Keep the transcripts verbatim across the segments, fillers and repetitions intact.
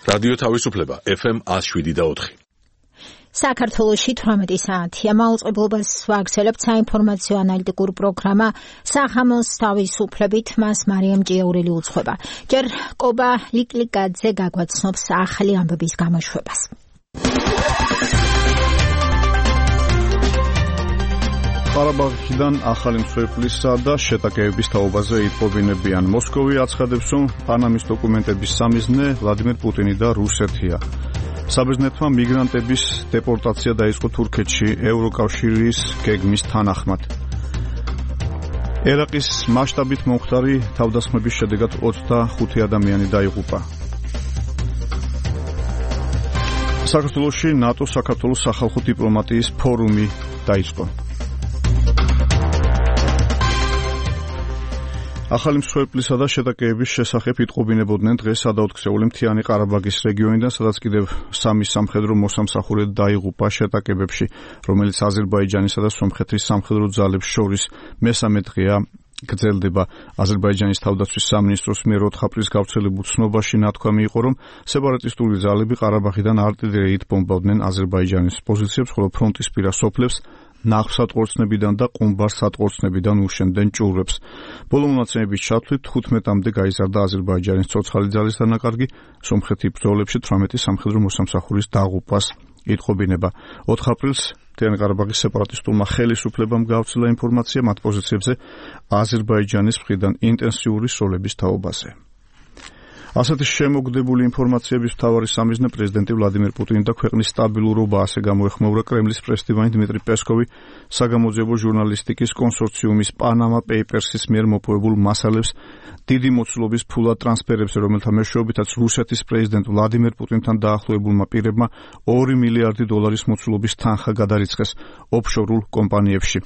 რადიო თავისუფლება ეფ ემ one oh seven და four. საქართველოში თვრამეტი საათია. მაუწყებლობას ვაგრძელებთ საინფორმაციო ანალიტიკურ პროგრამა სახამოს თავისუფლებით, მას მარიამ ჭიაურელი უძღვება. ჯერ კობა ლიკლიკაძე გაგვაცნობს ახალი ამბების გამოშვებას. ყარაბაღიდან ახალი მსხვერპლისა და შეტაკებების თაობაზე იტყობინებიან. მოსკოვი აცხადებს, რომ პანამის დოკუმენტების სამიზნე ვლადიმერ პუტინი და რუსეთია. საბერძნეთმა მიგრანტების დეპორტაცია დაიწყო თურქეთში ევროკავშირის გეგმის თანახმად. ერაყის მასშტაბით მომხდარი თავდასხმების შედეგად ოცდახუთი ადამიანი დაიღუპა. საქართველოში ნატო-საქართველოს სახალხო დიპლომატიის ფორუმი დაიწყო. ახალი მსხვერპლისა და შეტაკებების შესახებ იტყობინებოდნენ დღეს სადაოთხსეული მთიანი ყარაბაღის რეგიონიდან, სადაც კიდევ სამი სამხედრო მოსამსახურე დაიღუპა შეტაკებებში, რომელიც აზერბაიჯანისა და სომხეთის სამხედრო ძალებს შორის მესამე დღეა გრძელდება. აზერბაიჯანის თავდაცვის სამინისტროს მიერ ოთხ აპრილს გავრცელებულ ცნობაში ნათქვამი იყო, რომ სეპარატისტული ძალები ყარაბაღიდან артиллერიით ბომბავდნენ აზერბაიჯანის პოზიციებს, ხოლო ფრონტისპირა სოფლებს ნახსატყორცნებიდან და ყუმბარ-სატყორცნებიდან უშენდნენ ჭურვებს. ბოლო მონაცემების ჩათვლით თხუთმეტამდე გაიზარდა აზერბაიჯანის ცოცხალი ძალის დანაკარგი, სომხეთი ბრძოლებში თვრამეტი სამხედრო მოსამსახურის დაღუპვას იტყობინება. ოთხ აპრილს მთიანი ყარაბაღის სეპარატისტულმა ხელისუფლებამ გაავრცელა ინფორმაცია მათ პოზიციებზე აზერბაიჯანის მხრიდან ინტენსიური სროლების თაობაზე. ასეთი შემოგდებული ინფორმაციების მთავარი სამიზნე პრეზიდენტი ვლადიმერ პუტინი და ქვეყნის სტაბილურობა, ასე გამოეხმაურა კრემლის პრესდივანი დიმიტრი პესკოვი საგამოძიებო ჟურნალისტიკის კონსორციუმის პანამა პეიპერსის მიერ მოპოვებულ მასალებს დიდი მოცულობის ფულად ტრანსფერებზე, რომელთა მეშვეობითაც რუსეთის პრეზიდენტ ვლადიმერ პუტინთან დაახლოებულმა პირებმა ორი მილიარდი დოლარის მოცულობის თანხა გადარიცხეს ოფშორულ კომპანიებში.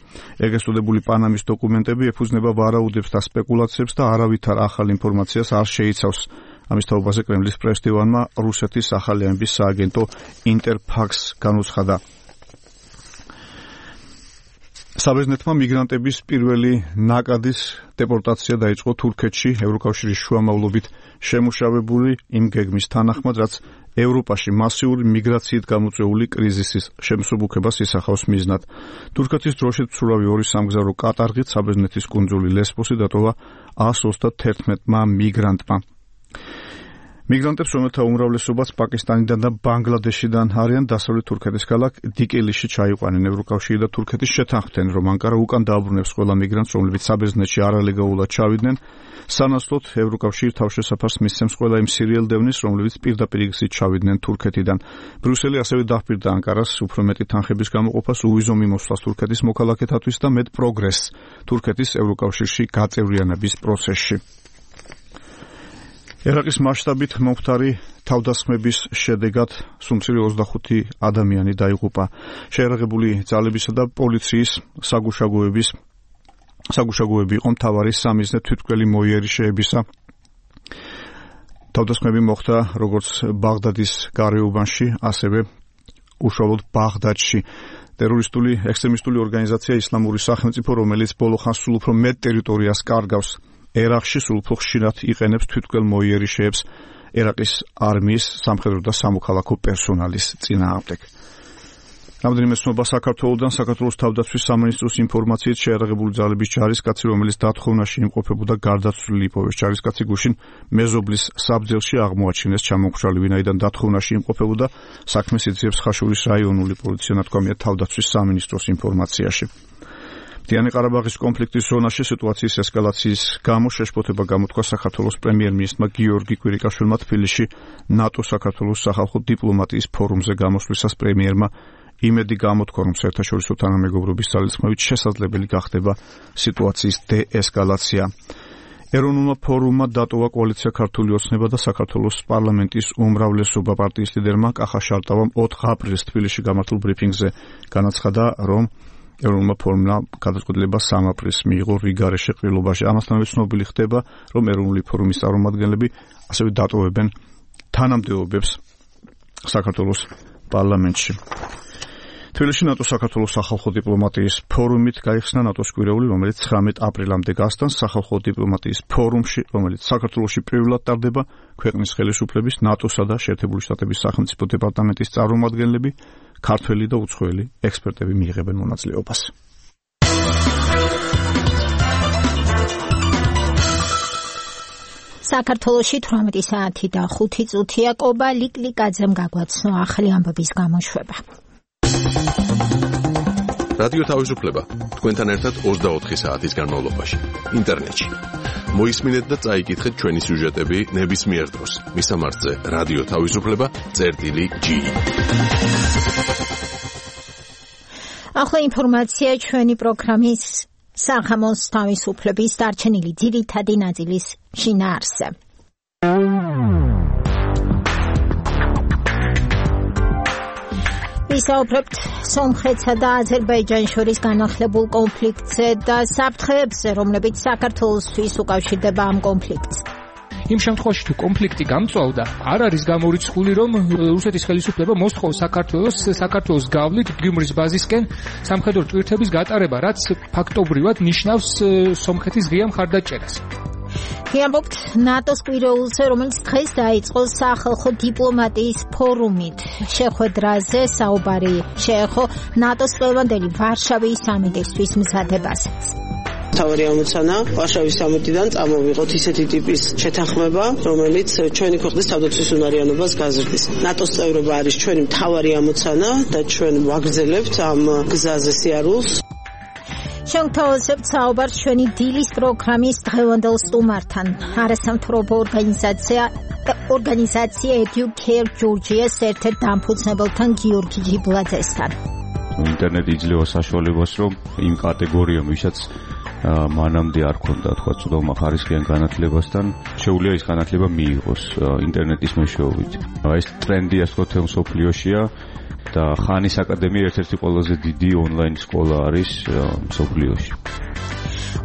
ეგრეთ წოდებული პანამის დოკუმენტები ეფუძნება ვარაუდებს და სპეკულაციებს და არავითარ ახალ ინფორმაციას არ შეიცავს. ამის თაობაზე კრემლის პრესდივანმა რუსეთის ახალი ამბის სააგენტო ინტერფაქს განუცხადა. საბერძნეთმა მიგრანტების პირველი ნაკადის დეპორტაცია დაიწყო თურქეთში ევროკავშირის შუამავლობით შემუშავებული იმ გეგმის თანახმად, რაც ევროპაში მასიური მიგრაციით გამოწვეული კრიზისის შემსუბუქებას ისახავს მიზნად. თურქეთის დროშით მცურავი ორი სამგზავრო კატარღით საბერძნეთის კუნძული ლესბოსი დატოვა one hundred thirteen-მა მიგრანტმა. მიგრანტებს, რომელთა უმრავლესობაც პაკისტანიდან და ბანგლადეშიდან არიან, დასავლეთ თურქეთის ქალაქ დიკილიში ჩაიყვანენ. ევროკავშირი და თურქეთის შეთანხმდნენ, რომ ანკარა უკან დააბრუნებს ყველა მიგრანტს, რომლებიც საბერძნეთში არალეგალურად ჩავიდნენ. სანაცვლოდ ევროკავშირი თავშესაფარს მისცემს ყველა იმ სირიელ დევნის, რომლებიც პირდაპირ გზით ჩავიდნენ თურქეთიდან. ბრიუსელი ასევე დახპირდა ანკარას უფრო მეტი თანხების გამოყოფას, უვიზო მიმოსვლას თურქეთის მოქალაქეთათვის და მეტ პროგრესს თურქეთის ევროკავშირში გაწევრიანების პროცესში. ერაყის მასშტაბით მომხდარი თავდასხმების შედეგად სუმცირე ოცდახუთი ადამიანი დაიღუპა. შეიარაღებული ძალებისა და პოლიციის საგუშაგოების საგუშაგოები იყო მთავარი სამიზნე თვითმკვლელი მოიერიშეებისა. თავდასხმები მოხდა როგორც ბაღდადის გარეუბანში, ასევე უშუალოდ ბაღდადში. ტერორისტული ექსტრემისტული ორგანიზაცია ისლამური სახელმწიფო, რომელიც ბოლო ხანს სულ უფრო მეტ ტერიტორიას კარგავს ერაყში, სულ უფრო ხშირად იყენებს თვითმკვლელ მოიერიშეებს ერაყის არმიის სამხედრო და სამოქალაქო პერსონალის წინააღმდეგ. რამდენიმე ცნობა საქართველოსთან, საქართველოს თავდაცვის სამინისტროს ინფორმაციით შეიარაღებული ძალების ჯარისკაცი, რომელიც დათხოვნაში იმყოფებოდა, გარდაცვლილი იპოვეს. ჯარისკაცი გუშინ მეზობლის საბძელში აღმოაჩინეს ჩამომხშალი, ვინაიდან დათხოვნაში იმყოფებოდა, საქმეს იძიებს ხაშურის რაიონული პოლიცია, ნათქვამია თავდაცვის სამინისტროს ინფორმაციაში. მთიანი ყარაბაღის კონფლიქტის ზონაში სიტუაციის ესკალაციის გამო შეშფოთება გამოთქვა საქართველოს პრემიერ-მინისტრმა გიორგი კვირიკაშვილმა თბილისში ნატო-საქართველოს სახალხო დიპლომატიის ფორუმზე გამოსვლისას პრემიერმა იმედი გამოთქვა, რომ საერთაშორისო თანამეგობრობის ძალისხმევით შესაძლებელი გახდება სიტუაციის დეესკალაცია. ეროვნულმა ფორუმმა დატოვა კოალიცია ქართული ოცნება და საქართველოს პარლამენტის უმრავლესობა. პარტიის ლიდერმა კახა შარტავამ ოთხ აპრილს თბილისში გამართულ ბრიფინგზე განაცხადა, რომ ეროვნულმა ფორუმმა გადაწყვეტილება სამი აპრილს მიიღო რიგარეშე ყრილობაში. ამასთანავე ცნობილი ხდება, რომ ეროვნული ფორუმის წარმომადგენლები ასევე დატოვებენ თანამდებობებს საქართველოს პარლამენტში. თბილისში ნატო-საქართველოს სახალხო დიპლომატიის ფორუმით გაიხსნა ნატოს კვირეული, რომელიც ცხრამეტ აპრილამდე გასტანს. სახალხო დიპლომატიის ფორუმში, რომელიც საქართველოში პირველად ტარდება, ქვეყნის ხელისუფლების, ნატოსა და შეერთებული შტატების სახელმწიფო დეპარტამენტის წარმომადგენლები, ქართველი და უცხოელი ექსპერტები მიიღებენ მონაწილეობას. საქართველოში თვრამეტი საათი და ხუთი წუთია. კობა ლიკლიკაძემ გაგვაცნო ახალი ამბების გამოშვება. რადიო თავისუფლება თქვენთან ერთად ოცდაოთხი საათის განმავლობაში ინტერნეტში. მოისმინეთ და წაიკითხეთ ჩვენი სიუჟეტები ნებისმიერ დროს. მისამართზე რადიო თავისუფლება წერტილი ჯი. ახლა ინფორმაცია ჩვენი პროგრამის სახამოს თავისუფლების დარჩენილი ძირითადი ნაწილის შინაარსზე. ვისაუბრებთ სომხეთსა და აზერბაიჯანს შორის განახლებულ კონფლიქტზე და საფრთხეებზე, რომლებიც საქართველოსთვის უკავშირდება ამ კონფლიქტს. იმ შემთხვევაში თუ კონფლიქტი გამწვავდა, არ არის გამორიცხული, რომ რუსეთის ხელისუფლება მოსთხოვს საქართველოს საქართველოს გავლით გიუმრის ბაზისკენ სამხედრო ტვირთების გატარება, რაც ფაქტობრივად ნიშნავს სომხეთის ღია მხარდაჭერას. ვიამბობთ ნატოს კვირეულზე, რომელიც დღეს დაიწყო სახალხო დიპლომატიის ფორუმით. შეხვედრაზე საუბარი შეეხო ნატოს ყველევანდელი ვარშავის სამიტისთვის მზადებასაც. თავი ამოცანა ვარშავის სამიტიდან წამოვიღოთ ისეთი ტიპის შეთანხმება, რომელიც ჩვენი ქვეყნის თავდაცვის უნარიანობას გაზრდის. ნატოს წევრობა არის ჩვენი მთავარი ამოცანა და ჩვენ ვაგრძელებთ ამ გზაზე სიარულს. შევთავაზებთ საუბარს ჩვენი დილის პროგრამის დღევანდელ სტუმართან. არასამთავრობო ორგანიზაცია ორგანიზაცია Educare Georgia-ს ერთ-ერთ დამფუძნებელთან გიორგი ჯიბლაძესთან. ინტერნეტი იძლევა საშუალებას, რომ იმ კატეგორიამ, ვისაც მანამდე არ ქონდა თქვა ცუდმა ხარისხიან განათლებასთან, შეუძლია ის განათლება მიიღოს ინტერნეტის მეშვეობით. ეს ტრენდი ასე ვთქვათ მსოფლიოშია და ხანის აკადემია ერთ-ერთი ყველაზე დიდი ონლაინ სკოლა არის მსოფლიოში.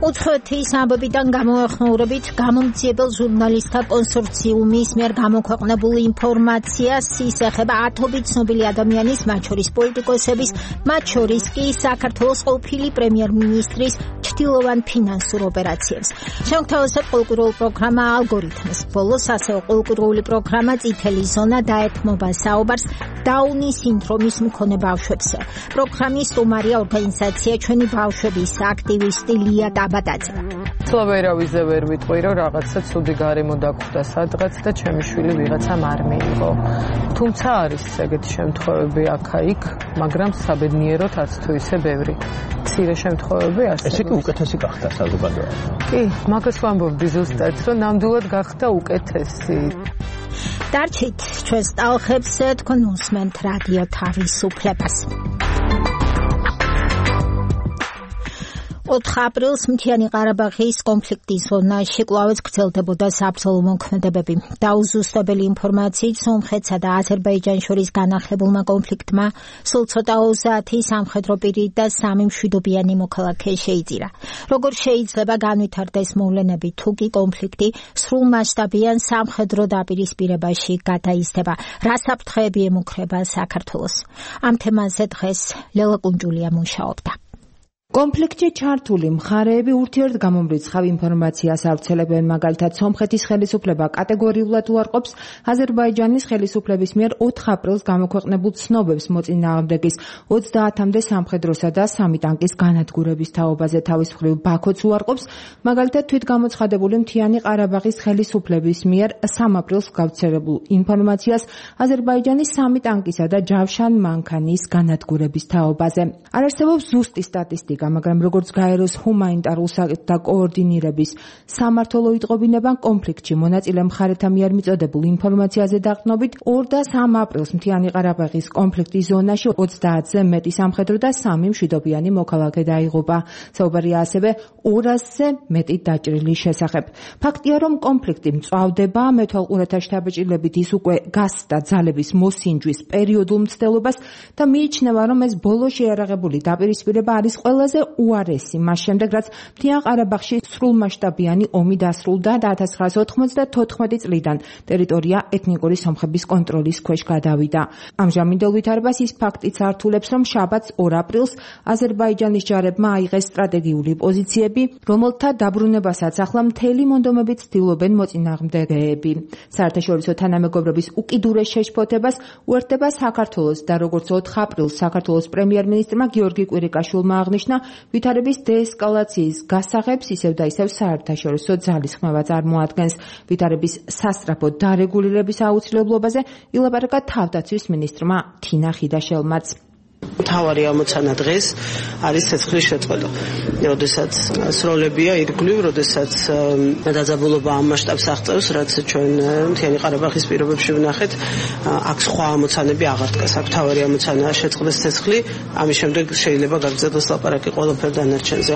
უცხოეთის ამბებიდან გამოეხმაურებით გამომძიებელ ჟურნალისტთა კონსორციუმის მიერ გამოქვეყნებულ ინფორმაციას ის ეხება ათობით ცნობილი ადამიანის, მათ შორის პოლიტიკოსების, მათ შორის კი საქართველოს ყოფილი პრემიერ-მინისტრის ჩtildeოვან ფინანსურ ოპერაციებს. შევთავაზებთ ყოველკვირეულ პროგრამა ალგორითმს. ბოლოს ასევე ყოველკვირეული პროგრამა წითელი ზონა დაეთმობა საუბარს დაუნის სინდრომის მქონე ბავშვებზე. პროგრამის სტუმარია ორგანიზაცია ჩვენი ბავშვების აქტივისტი ლია ტაბატაძე. ცლავერავიზე ვერ ვიტყვი, რომ რაღაცა ცუდი გარემო დაგხვდა სადღაც და ჩემი შვილი ვიღაცამ არ მიიღო. თუმცა არის ეგეთი შემთხვევები აქა-იქ, მაგრამ საბედნიეროდ არც თუ ისე ბევრი. მცირე შემთხვევები არსებობს. ესე კი უკეთესი გახდა საზოგადოება. კი, მაგას ვამბობდი ზუსტად, რომ ნამდვილად გახდა უკეთესი. დარჩით ჩვენს ტალხებს, თქვენ უსმენთ რადიო თავისუფლებას. ოთხ აპრილს მთიანი ყარაბაღის კონფლიქტის ზონაში კვლავაც გრძელდებოდა საბრძოლო მოქმედებები. დაუზუსტებელი ინფორმაციით სომხეთსა და აზერბაიჯანს შორის განახლებულმა კონფლიქტმა სულ ცოტა ოცდაათი სამხედრო პირი და სამი მშვიდობიანი მოქალაქე შეიძირა. როგორ შეიძლება განვითარდეს მოვლენები, თუ კი კონფლიქტი სრულმასშტაბიან სამხედრო დაპირისპირებაში გადაიზრდება? რა საფრთხეები ემუქრება საქართველოს? ამ თემაზე დღეს ლელა კუნჯულია მუშაობდა. კონფლიქტში ჩართული მხარეები ურთიერთგამომრიცხავ ინფორმაციას ავრცელებენ, მაგალითად სომხეთის ხელისუფლება კატეგორიულად უარყოფს აზერბაიჯანის ხელისუფლების მიერ ოთხ აპრილს გამოქვეყნებულ ცნობებს მოწინააღმდეგის ოცდაათამდე სამხედროსა და სამი ტანკის განადგურების თაობაზე. თავის მხრივ ბაქოც უარყოფს მაგალითად თვითგამოცხადებული მთიანი ყარაბაღის ხელისუფლების მიერ სამ აპრილს გავრცელებულ ინფორმაციას აზერბაიჯანის სამი ტანკისა და ჯავშან მანქანის განადგურების თაობაზე. არ არსებობს ზუსტი სტატისტიკა, მაგრამ როგორც გაეროს ჰუმანიტარულ საკითხთა კოორდინირების სამმართველო იტყობინებან კონფლიქტში მონაწილე მხარეთა მიერ მიწოდებულ ინფორმაციაზე დაყრდნობით ორ და სამ აპრილს მთიანი ყარაბაღის კონფლიქტის ზონაში ოცდაათზე მეტი სამხედრო და სამი მშვიდობიანი მოქალაქე დაიღუპა. საუბარია ასევე ორასზე მეტი დაჭრილის შესახებ. ფაქტია, რომ კონფლიქტი მწვავდება, მეთვალყურეთა შთაბეჭდილებით ის უკვე გასცდა ძალების მოსინჯვის პერიოდულ მცდელობას და მიიჩნევა, რომ ეს ბოლო შეიარაღებული დაპირისპირება არის ყველაზე ყველაზე უარესი მას შემდეგ, რაც მთიან ყარაბაღში სრულმასშტაბიანი ომი დასრულდა და ათას ცხრაასი ოთხმოცდათოთხმეტი წლიდან ტერიტორია ეთნიკური სომხების კონტროლის ქვეშ გადავიდა. ამჟამინდელ ვითარებას ის ფაქტიც ართულებს, რომ შაბათს ორ აპრილს აზერბაიჯანის ჯარებმა აიღეს სტრატეგიული პოზიციები, რომელთა დაბრუნებასაც ახლა მთელი მონდომებით ცდილობენ მოწინააღმდეგეები. საერთაშორისო თანამეგობრობის უკიდურეს შეშფოთებას უერთდება საქართველოს და როგორც ოთხ აპრილს საქართველოს პრემიერ-მინისტრმა გიორგი კვირიკაშვილმა აღნიშნა, ვითარების დეესკალაციის გასაღებს ისევ და ისევ საერთაშორისო ძალისხმევა წარმოადგენს. ვითარების სასწრაფო დარეგულირების აუცილებლობაზე ილაპარაკა თავდაცვის მინისტრმა თინა ხიდაშელმაც. თავარი ამოცანა დღეს არის ცეცხლის შეწყვეტა. როდესაც სროლებია ირგვლივ, როდესაც დაძაბულობა ამ მასშტაბს აღწევს, რაც ჩვენ მთიანი ყარაბაღის პირობებში ვნახეთ, აქ სხვა ამოცანები აღარ დგას. აქ თავარი ამოცანაა შეწყდეს ცეცხლი, ამის შემდეგ შეიძლება გაგრძელდეს ლაპარაკი ყველაფერ დანარჩენზე.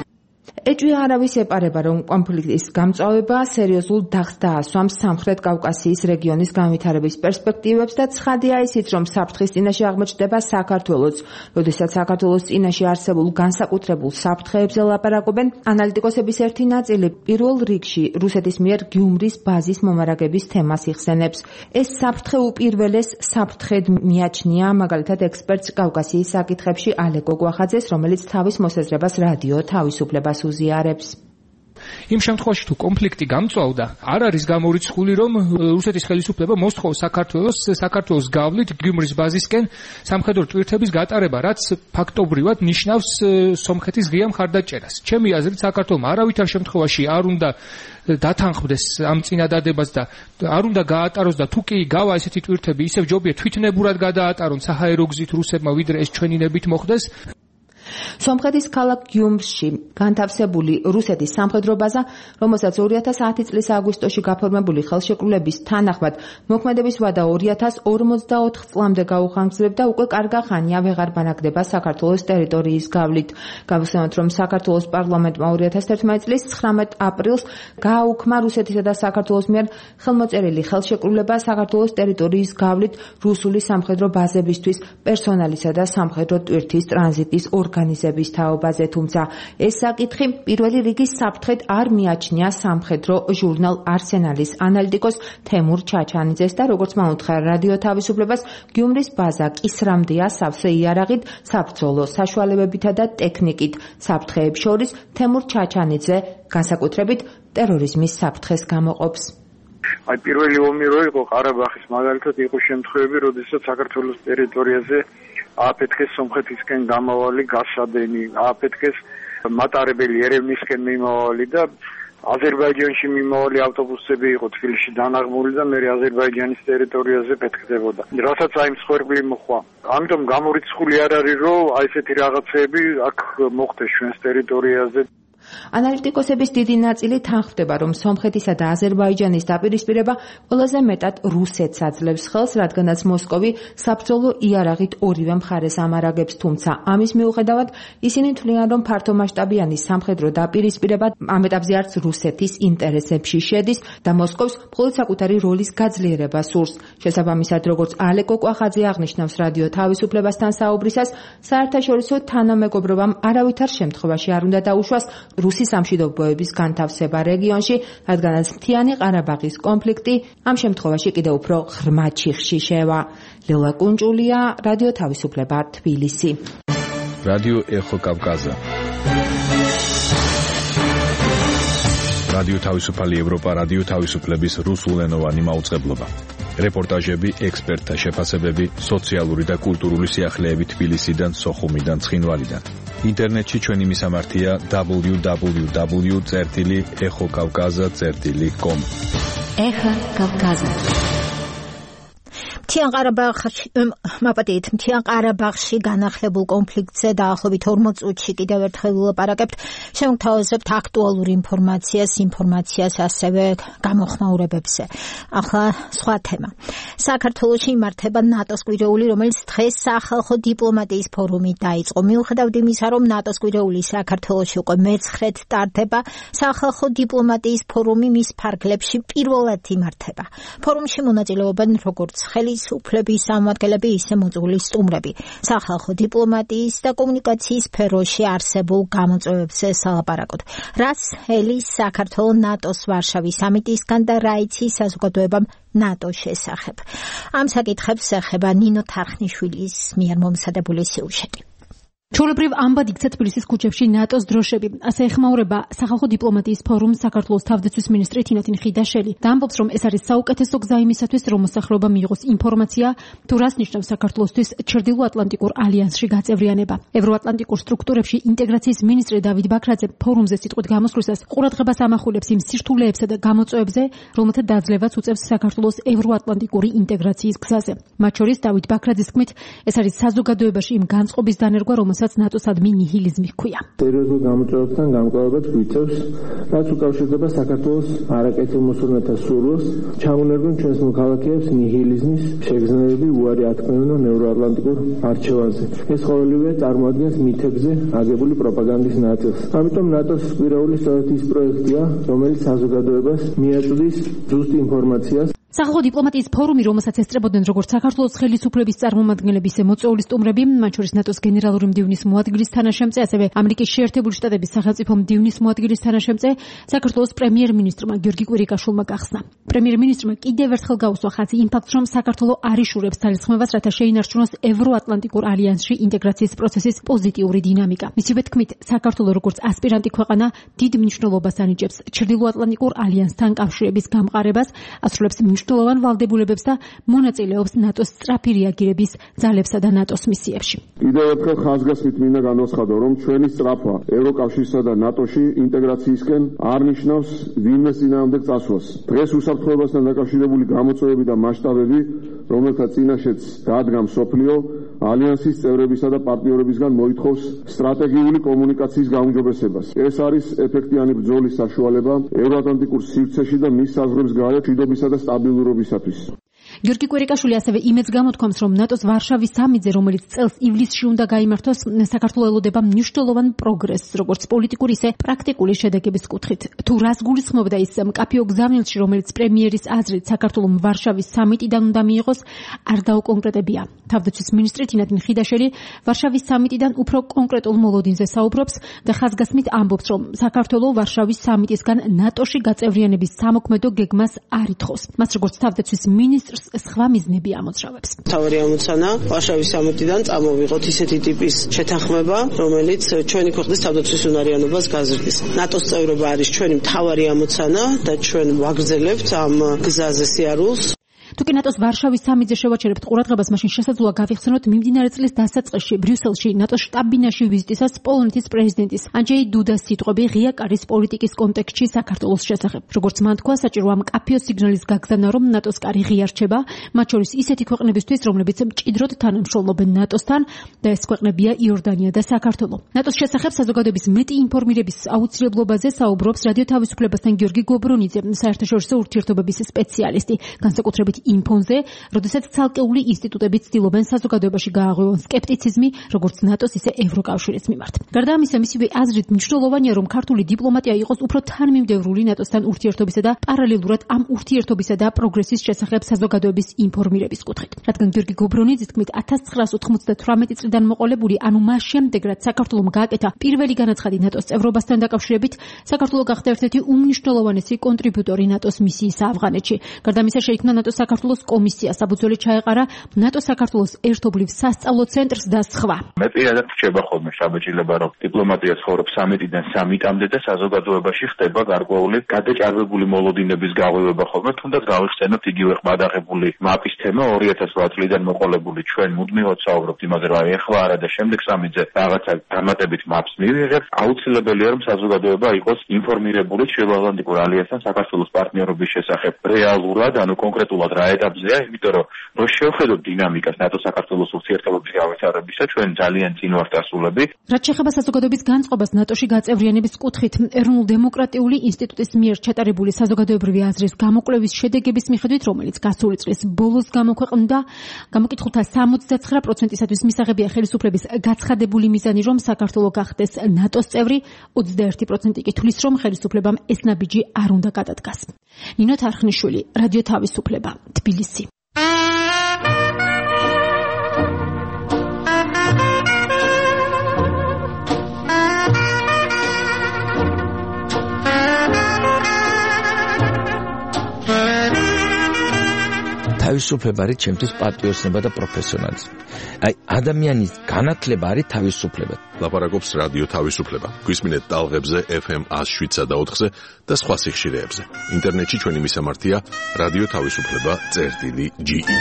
ეჭვი არავის ეპარება, რომ კონფლიქტის გამწვავება სერიოზულ დახს დაასვამს სამხრეთ კავკასიის რეგიონის განვითარების პერსპექტივებს და ცხადია ისიც, რომ საფრთხის წინაშე აღმოჩნდება საქართველოც. როდესაც საქართველოს წინაშე არსებულ განსაკუთრებულ საფრთხეებზე ლაპარაკობენ, ანალიტიკოსების ერთი ნაწილი პირველ რიგში რუსეთის მიერ გიუმრის ბაზის მომარაგების თემას იხსენებს. ეს საფრთხე უპირველეს საფრთხედ მიაჩნია მაგალითად ექსპერტს კავკასიის საკითხებში ალეკო გვახაძეს, რომელიც თავის მოსაზრებას რადიო თავისუფლებას უზიარებს. იმ შემთხვევაში თუ კონფლიქტი გამწვავდა, არ არის გამორიცხული, რომ რუსეთის ხელისუფლება მოსთხოვს საქართველოს საქართველოს გავლით გიუმრის ბაზისკენ სამხედრო ტვირთების გატარება, რაც ფაქტობრივად ნიშნავს სომხეთის ღია მხარდაჭერას. ჩემი აზრით, საქართველოს არავითარ შემთხვევაში არ უნდა დათანხმდეს ამ წინადადებას და არ უნდა გაატაროს და თუ კი გავა ესეთი ტვირთები, ისევ ჯობია თვითნებურად გადაატარონ საჰაერო გზით რუსებმა, ვიდრე ეს ჩვენინებით მოხდეს. სომხეთის ქალაქ გიუმრში განთავსებული რუსეთის სამხედრო ბაზა, რომელსაც ორი ათას ათი წლის აგვისტოში გაფორმებული ხელშეკრულების თანახმად მოქმედების ვადა ორი ათას ორმოცდაოთხ წლამდე გაუხანგრძლივდა, უკვე კარგა ხანია ვეღარ ბანაკდება საქართველოს ტერიტორიის გავლით. გავხსენოთ, რომ საქართველოს პარლამენტმა ორი ათას თერთმეტი წლის ცხრამეტ აპრილს გააუქმა რუსეთისა და საქართველოს მიერ ხელმოწერილი ხელშეკრულება საქართველოს ტერიტორიის გავლით რუსული სამხედრო ბაზებისთვის პერსონალისა და სამხედრო ტვირთის ტრანზიტის ორგანიზების თაობაზე, თუმცა ეს საკითხი პირველი რიგის საფრთხედ არ მიაჩნია სამხედრო ჟურნალ არსენალის ანალიტიკოს თემურ ჩაჩანიძეს და როგორც მან უთხრა რადიო თავისუფლებას, გიუმრის ბაზა კისრამდეა სავსე იარაღით, საბრძოლო საშუალებებითა და ტექნიკით. საფრთხეებს შორის თემურ ჩაჩანიძე განსაკუთრებით ტერორიზმის საფრთხეს გამოყოფს. აი პირველი ომი რო იყო ყარაბაღის, მაგალითად იყო შემთხვევები, როდესაც საქართველოს ტერიტორიაზე აფეთქეს სომხეთისკენ გამავალი გასადენი, აფეთქეს მატარებელი ერევნისკენ მიმავალი და აზერბაიჯანში მიმავალი ავტობუსები იყო თბილისში დანაღმული და მე აზერბაიჯანის ტერიტორიაზე ფეთქდებოდა. რასაც აი მსხვერპლი მოხვა. ამიტომ გამორიცხული არ არის, რომ აი ესეთი რაღაცეები აქ მოხდეს ჩვენს ტერიტორიაზე. ანალიტიკოსების დიდი ნაწილი თანხმდება, რომ სომხეთისა და აზერბაიჯანის დაპირისპირება ყველაზე მეტად რუსეთს აძლევს ხელს, რადგანაც მოსკოვი საბრძოლო იარაღით ორივე მხარეს ამარაგებს, თუმცა ამის მიუხედავად ისინი თვლიან, რომ ფართომასშტაბიანი სამხედრო დაპირისპირება ამ ეტაპზე არც რუსეთის ინტერესებში შედის და მოსკოვს მხოლოდ საკუთარი როლის გაძლიერება სურს. შესაბამისად, როგორც ალეკო კვახაძე აღნიშნავს რადიო თავისუფლებასთან საუბრისას, საერთაშორისო თანამეგობრობამ არავითარ შემთხვევაში არ უნდა დაუშვას რუსი სამშვიდობოების განთავსება რეგიონში, რადგანაც მთიანი ყარაბაღის კონფლიქტი ამ შემთხვევაში კიდევ უფრო ღრმა ჩიხში შევა. ლელა კუნჭულია, რადიო თავისუფლება, თბილისი. რადიო ეხო კავკაზა. რადიო თავისუფალი ევროპა, რადიო თავისუფლების რუსულენოვანი მაუწყებლობა. რეპორტაჟები, ექსპერტთა შეფასებები, სოციალური და კულტურული სიახლეები თბილისიდან, სოხუმიდან, ცხინვალიდან. ინტერნეტში ჩვენი მისამართია დაბლიუ დაბლიუ დაბლიუ წერტილი ეხო კავკაზა წერტილი კომ. ეხო კავკაზა. მთიან ყარაბაღში, მაპატიეთ, მთიან ყარაბაღში განახლებულ კონფლიქტზე დაახლოებით ორმოც წუთში კიდევ ერთხელ ვილაპარაკებთ. შევთავაზებთ აქტუალურ ინფორმაციას, ინფორმაციას ასევე გამოხმაურებებზე. ახლა სხვა თემა. საქართველოში იმართება ნატოს კვირეული, რომელიც დღეს სახალხო დიპლომატიის ფორუმი დაიწყო. მიუხედავად იმისა, რომ ნატოს კვირეული საქართველოში უკვე მეცხრედ ტარდება, სახალხო დიპლომატიის ფორუმი მის ფარგლებში პირველად იმართება. ფორუმში მონაწილეობენ როგორც ხელის ხელისუფლების წარმომადგენლები ისე მოძღვრილი სტუმრები. სახალხო დიპლომატიის და კომუნიკაციის სფეროში არსებულ გამოწვევებზე სალაპარაკოთ. რას ელის საქართველოს ნატოს ვარშავის სამიტისგან და რა იცის საზოგადოებამ ნატოს შესახებ. ამ საკითხებს ეხება ნინო თარხნიშვილის მიერ მომზადებული სიუჟეტი. ჩვეულებრივ ამბად იქცა თბილისის ქუჩებში ნატოს დროშები. ასე ეხმაურება სახალხო დიპლომატიის ფორუმს საქართველოს თავდაცვის მინისტრი თინათინ ხიდაშელი და ამბობს, რომ ეს არის საუკეთესო გზა იმისათვის, რომ მოსახლეობა მიიღოს ინფორმაცია, თუ რას ნიშნავს საქართველოსთვის ჩრდილოატლანტიკურ ალიანსში გაწევრიანება. ევროატლანტიკურ სტრუქტურებში ინტეგრაციის მინისტრი დავით ბაქრაძე ფორუმზე სიტყვით გამოსვლისას ყურადღებას ამახვილებს იმ სირთულეებსა და გამოწვევებზე, რომელთა დაძლევაც უწევს საქართველოს ევროატლანტიკური ინტეგრაციის გზაზე. მათ შორის დავით ბაქრაძის თქმით, ეს არის საზოგადოებაში იმ განწყობის დანერგვა, რომელსაც ნატოსადმი ნიჰილიზმი ჰქვია. სერიოზულ გამოწვევებთან გამკლავებაც გვიწევს, რაც უკავშირდება საქართველოს არაკეთილმოსურნეთა სურვილს, ჩაუნერგონ ჩვენს მოქალაქეებს ნიჰილიზმის შეგრძნებები უარი ათქმევინონ ევროატლანტიკურ არჩევანზე. ეს ყოველივე წარმოადგენს მითებზე აგებული პროპაგანდის ნაწილს. ამიტომ ნატოს კვირაული სწორედ ის პროექტია, რომელიც საზოგადოებას მიაწვდის ზუსტ ინფორმაციას. სახალხო დიპლომატიის ფორუმი, რომელსაც ესწრებოდნენ როგორც საქართველოს ხელისუფლების წარმომადგენლები, ისე მოწვეული სტუმრები, მათ შორის ნატოს გენერალური მდივნის მოადგილის თანაშემწე, ასევე ამერიკის შეერთებული შტატების სახელმწიფო მდივნის მოადგილის თანაშემწე, საქართველოს პრემიერ-მინისტრმა გიორგი კვირიკაშვილმა გახსნა. პრემიერ-მინისტრმა კიდევ ერთხელ გაუსვა ხაზი იმ ფაქტს, რომ საქართველოს არ იშურებს ძალისხმევას, რათა შეინარჩუნოს ევროატლანტიკურ ალიანსში ინტეგრაციის პროცესის პოზიტიური დინამიკა. მისივე თქმით, საქართველოს როგორც ასპირანტი ქვეყანა დიდ მნიშვნელობას ანიჭებს ჩრდილოატლანტიკურ ალიანსთან კავშირების გამყარებას, ასრულებს მნიშვნელოვან ვალდებულებებს და მონაწილეობს ნატოს სწრაფი რეაგირების ძალებსა და ნატოს მისიებში. კიდევ ერთხელ ხაზგასმით მინდა განვაცხადო, რომ ჩვენი სწრაფვა ევროკავშირსა და ნატოში ინტეგრაციისკენ არ ნიშნავს ვინმეს წინააღმდეგ წასვლას. დღეს უსაფრთხოებასთან დაკავშირებული გამოწვევები და მასშტაბები, რომელთა წინაშეც დადგა მსოფლიო, ალიანსის წევრებისა და პარტნიორებისგან მოითხოვს სტრატეგიული კომუნიკაციის გაუმჯობესებას. ეს არის ეფექტიანი ბრძოლის საშუალება ევროატლანტიკურ სივრცეში და მის საზღვრებს გარეთ მშვიდობისა და სტაბილურობისათვის. გიორგი კვირიკაშვილი ასევე იმედს გამოთქვამს, რომ ნატოს ვარშავის სამიტზე, რომელიც წელს ივლისში უნდა გაიმართოს, საქართველოს ელოდება მნიშვნელოვან პროგრესს, როგორც პოლიტიკური, ისე პრაქტიკული შედეგების კუთხით. თუ რას გულისხმობდა ის მკაფიო გზავნილში, რომელიც პრემიერის აზრით საქართველოს ვარშავის სამიტიდან უნდა მიიღოს, არ დაუკონკრეტებია. თავდაცვის მინისტრი თინათინ ხიდაშელი ვარშავის სამიტიდან უფრო კონკრეტულ მოლოდინზე საუბრობს და ხაზგასმით ამბობს, რომ საქართველოს ვარშავის სამიტისგან ნატოში გაწევრიანების სამოქმედო გეგმას არ ითხოვს. მას როგორც თავდაცვის მინისტრს სხვა მიზნები ამოძრავებს. თავარი ამოცანა ვარშავის სამიტიდან წამოვიღოთ ისეთი ტიპის შეთანხმება, რომელიც ჩვენი ქვეყნის თავდაცვის უნარიანობას გაზრდის. ნატოს წევრობა არის ჩვენი მთავარი ამოცანა და ჩვენ ვაგრძელებთ ამ გზაზე სიარულს. თუკი ნატოს ვარშავის სამიტზე შევაჩერებთ ყურადღებას, მაშინ შესაძლოა გავიხსენოთ მიმდინარე წლის დასაწყისში ბრიუსელში ნატოს შტაბ-ბინაში ვიზიტისას პოლონეთის პრეზიდენტის ანჯეი დუდას სიტყვები ღია კარის პოლიტიკის კონტექსტში საქართველოს შესახებ. როგორც მან თქვა, საჭიროა მკაფიო სიგნალის გაგზავნა, რომ ნატოს კარი ღია რჩება, მათ შორის ისეთი ქვეყნებისთვის, რომლებიც მჭიდროდ თანამშრომლობენ ნატოსთან და ეს ქვეყნებია იორდანია და საქართველო. ნატოს შესახებ საზოგადოების მეტი ინფორმირების აუცილებლობაზე საუბრობს რადიო თავისუფლებასთან გიორგი გობრონიძე, საერთაშორისო ურთიერთობების სპეციალისტი, განსაკუთრებით ინფონზე, როდესაც ცალკეული ინსტიტუტები ცდილობენ საზოგადოებაში გააღვევონ სკეპტიციზმი, როგორც ნატოს, ისე ევროკავშირის მიმართ. გარდა ამისა, მისივე აზრით მნიშვნელოვანია, რომ ქართული დიპლომატია იყოს უფრო თანმიმდევრული ნატოსთან ურთიერთობისა და პარალელურად ამ ურთიერთობისა და პროგრესის შესახებ საზოგადოების ინფორმირების კუთხით. რადგან გიორგი გობრონიძის თქმით, ათას ცხრაას ოცდაათი წლიდან მოყოლებული, ანუ მას შემდეგ, რაც საქართველომ გააკეთა პირველი განაცხადი ნატოს წევრობასთან დაკავშირებით, საქართველო გახდა ერთ-ერთი უმნიშვნელოვანესი კონტრიბუტორი ნატოს მისიის ავღანეთში. გარდა ამისა, შეიქმნა ნატოს საქართველოს კომისია, საბრძოლო ჩაეყარა ნატო საქართველოს ერთობლივ სასწავლო ცენტრს და სხვა. მე პირადად რჩება ხოლმე შაბეჭდილება, რომ დიპლომატია ცხოვრობს სამიტიდან სამიტამდე და საზოგადოებაში ხდება გარკვეული გადაჭარბებული მოლოდინების გაღვივება ხოლმე, თუნდაც გავიხსენოთ იგივე ყმადაღებული მაპის თემა ორი ათას ოთხ წლიდან მოყოლებული. ჩვენ მუდმივად საუბრობთ იმაზე, რომ ეხლა არა და შემდეგ სამიტზე რაღაცა დამატებით მაპს მივიღებთ. აუცილებელია, რომ საზოგადოება იყოს ინფორმირებული ჩრდილოატლანტიკურ ალიანსთან საქართველოს პარტნიორობის შესახებ რეალურად, ანუ კონკრეტულად რა ეტაპზეა, იმიტომ რომ რო შევხედოთ დინამიკას ნატო საქართველოს ურთიერთობების გავითარებისა, ჩვენ ძალიან წინ ვართ ასულები. რაც შეეხება საზოგადოების განწყობას ნატოში გაწევრიანების კუთხით, ეროვნულ-დემოკრატიული ინსტიტუტის მიერ ჩატარებული საზოგადოებრივი აზრის გამოკვლევის შედეგების მიხედვით, რომელიც გასული წლის ბოლოს გამოქვეყნდა, გამოკითხულთა სამოცდათცხრა პროცენტისათვის მისაღებია ხელისუფლების გაცხადებული მიზანი, რომ საქართველო გახდეს ნატოს წევრი, ოცდაერთი პროცენტი კი თვლის, რომ ხელისუფლებამ ეს ნაბიჯი არ უნდა გადადგას. ნინო თარხნიშვილი, რადიო თავისუფლება, თბილისი. თავისუფლება არის ჩემთვის პატრიოტიზმი და პროფესიონალიზმი. აი ადამიანის განათლება არის თავისუფლება. ლაპარაკობს რადიო თავისუფლება. გვისმინეთ ტალღებზე ეფ ემ one oh seven და ოთხზე და სხვა სიხშირეებზე. ინტერნეტში ჩვენი მისამართია რადიო თავისუფლება წერტილი ჯი ი.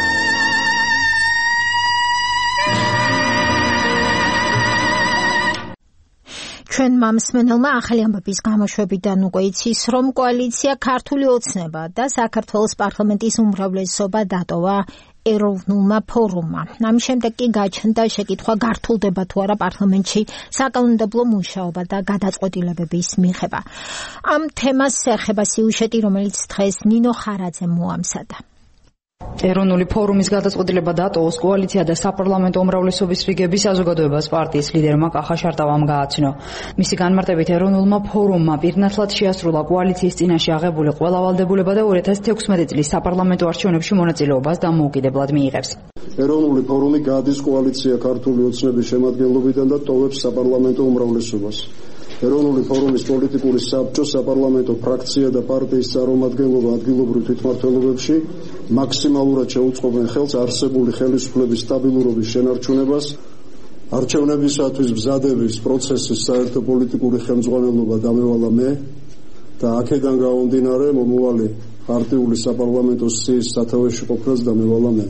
ჩვენ მამსმენელმა ახალი ამბების გამოშვებიდან უკვე იცის, რომ კოალიცია ქართული ოცნება და საქართველოს პარლამენტის უმრავლესობა დატოვა ეროვნულმა ფორუმმა. ამის შემდეგ კი გაჩნდა შეკითხვა გართულდება თუ არა პარლამენტში საკანონმდებლო მუშაობა და გადაწყვეტილებების მიღება. ამ თემას ეხება სიუჟეტი, რომელიც დღეს ნინო ხარაძემ მოამზადა. ეროვნული ფორუმის გადაწყვეტილება დატოვოს კოალიცია და საპარლამენტო უმრავლესობის რიგების საზოგადოებას პარტიის ლიდერმა კახა შარტავამ გააცნო. მისი განმარტებით ეროვნულმა ფორუმმა პირნათლად შეასრულა კოალიციის წინაშე აღებული ყველა ვალდებულება და two thousand sixteen წლის საპარლამენტო არჩევნებში მონაწილეობას დამოუკიდებლად მიიღებს. ეროვნული ფორუმი გადის კოალიცია ქართული ოცნების შემადგენლობიდან და ტოვებს საპარლამენტო უმრავლესობას. ეროვნული ფორუმის პოლიტიკური საბჭო, საპარლამენტო ფრაქცია და პარტიის წარმომადგენლობა ადგილობრივ თვითმმართველობებში მაქსიმალურად შეუწყობენ ხელს არსებული ხელისუფლების სტაბილურობის შენარჩუნებას, არჩევნებისათვის მზადების პროცესის საერთო პოლიტიკური ხელმძღვანელობა დამევალა მე და აქედან გამომდინარე მომავალი პარტიული საპარლამენტო სიის სათავეში ყოფნას დამევალა მე.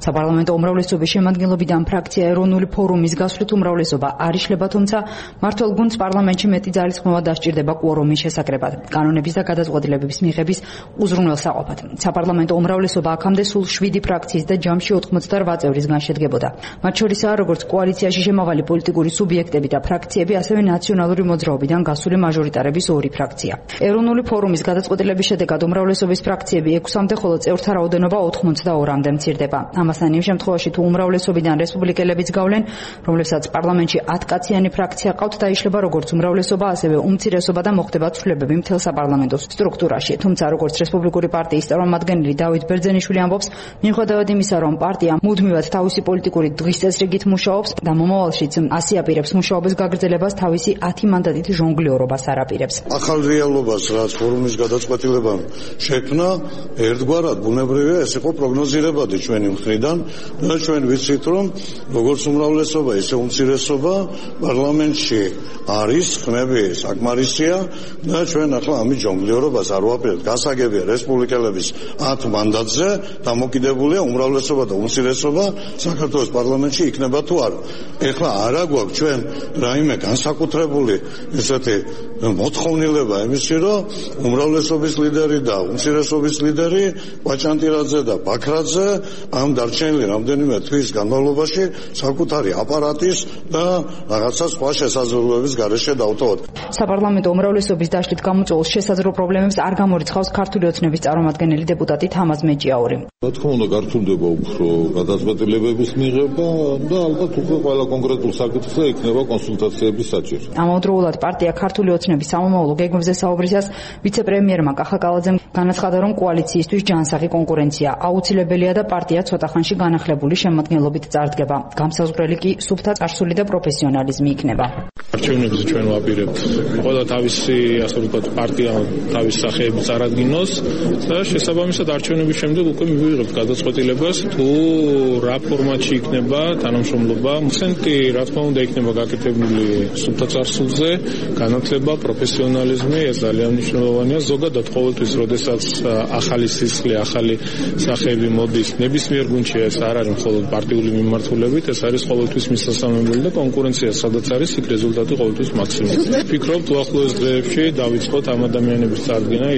საპარლამენტო უმრავლესობის შემადგენლობიდან ფრაქცია ეროვნული ფორუმის გასვლით უმრავლესობა არ იშლება, თუმცა მმართველ გუნდს პარლამენტში მეტი ძალისხმევა დასჭირდება კვორუმის შესაკრებად, კანონების და გადაწყვეტილებების მიღების უზრუნველსაყოფად. საპარლამენტო უმრავლესობა აქამდე სულ შვიდი ფრაქციის და ჯამში ოცდაოთხ წევრისგან შედგებოდა. მათ შორისაა როგორც კოალიციაში შემავალი პოლიტიკური სუბიექტები და ფრაქციები, ასევე ნაციონალური მოძრაობიდან გასული მაჟორიტარების ორი ფრაქცია. ეროვნული ფორუმის გადაწყვეტილების შედეგად უმრავლესობის ფრაქციები ექვსამდე, ხოლო წევრთა რაოდენობა ოცდაორმამდე მცირდება. ამასთან იმ შემთხვევაში თუ უმრავლესობიდან რესპუბლიკელებიც გავლენ, რომლებსაც პარლამენტში ათკაციანი ფრაქცია ყავთ, დაიშლება როგორც უმრავლესობა, ასევე უმცირესობა და მოხდება ცვლილებები მთელ საპარლამენტო სტრუქტურაში. თუმცა როგორც რესპუბლიკური პარტიის წარმომადგენელი დავით ბერძენიშვილი ამბობს, მიუხედავად იმისა, რომ პარტია მუდმივად თავისი პოლიტიკური დღის წესრიგით მუშაობს და მომავალშიც ასი აპირებს მუშაობის გაგრძელებას, თავისი ათი მანდატით ჟონგლიორობას არ აპირებს. ახალ რეალობას, რაც ფორუმის გადაწყვეტილებამ შექმნა, ერთგვარად ბუნებრივია ეს იყო პროგნოზირებადი ჩვენი მხრიდან და ჩვენ ვიცით, რომ როგორც უმრავლესობა, ისე უმცირესობა პარლამენტში არის, ხმები საკმარისია და ჩვენ ახლა ამის ჟონგლიორობას არ ვაპირებთ. გასაგებია რესპუბლიკელების ათ მანდატზე დამოკიდებულია უმრავლესობა და უმცირესობა საქართველოს პარლამენტში იქნება თუ არა. ეხლა არა გვაქვს ჩვენ რაიმე განსაკუთრებული ესეთი მოთხოვნილება იმისი, რომ უმრავლესობის ლიდერი და უმცირესობის ლიდერი კვაჭანტირაძე და ბაქრაძე ამ დარჩენილი რამდენიმე თვის განმავლობაში საკუთარი აპარატის და რაღაცა სხვა შესაძლებლობების გარეშე დავტოვოთ. საპარლამენტო უმრავლესობის დაშლით გამოწვეულ შესაძლო პრობლემებს არ გამორიცხავს ქართული ოცნების წარმომადგენელი დეპუტატი თამაზ მეჭიაური. რა თქმა უნდა, გართულდება უფრო გადაწყვეტილებების მიღება და ალბათ უკვე ყველა კონკრეტულ საკითხზე იქნება კონსულტაციების საჭირო. ამავდროულად პარტია ქართული ოცნების სამომავლო გეგმებზე საუბრისას ვიცე-პრემიერმა კახა კალაძემ განაცხადა, რომ კოალიციისთვის ჯანსაღი კონკურენცია აუცილებელია და პარტია ცოტა ხანში განახლებული შემადგენლობით წარდგება. გამსაზღვრელი კი სუფთა წარსული და პროფესიონალიზმი იქნება. არჩევნებზე ჩვენ ვაპირებთ ყველა თავისი, ასე ვთქვათ, პარტია თავის სახეები წარადგინოს და შესაბამისად არჩევნების შემდეგ უკვე მივიღებთ გადაწყვეტილებას, თუ რა ფორმატში იქნება თანამშრომლობა. მცენტი, რა თქმა უნდა, იქნება გაკეთებული სუფთა წარსულზე, განათლება, პროფესიონალიზმი, ეს ძალიან მნიშვნელოვანია. ზოგადად ყოველთვის, როდესაც ახალი სისხლი, ახალი სახეები მოდის ნებისმიერ გუნდში, ეს არ არის მხოლოდ პარტიული მიმართულებით, ეს არის ყოველთვის მისასალმებელი და კონკურენცია სადაც არის, იქ რეზულტატი ყოველთვის მაქსიმუმია. ვფიქრობ, თუ ახლოს დღეებში დავიწყოთ ამ ადამიანების წარდგენა,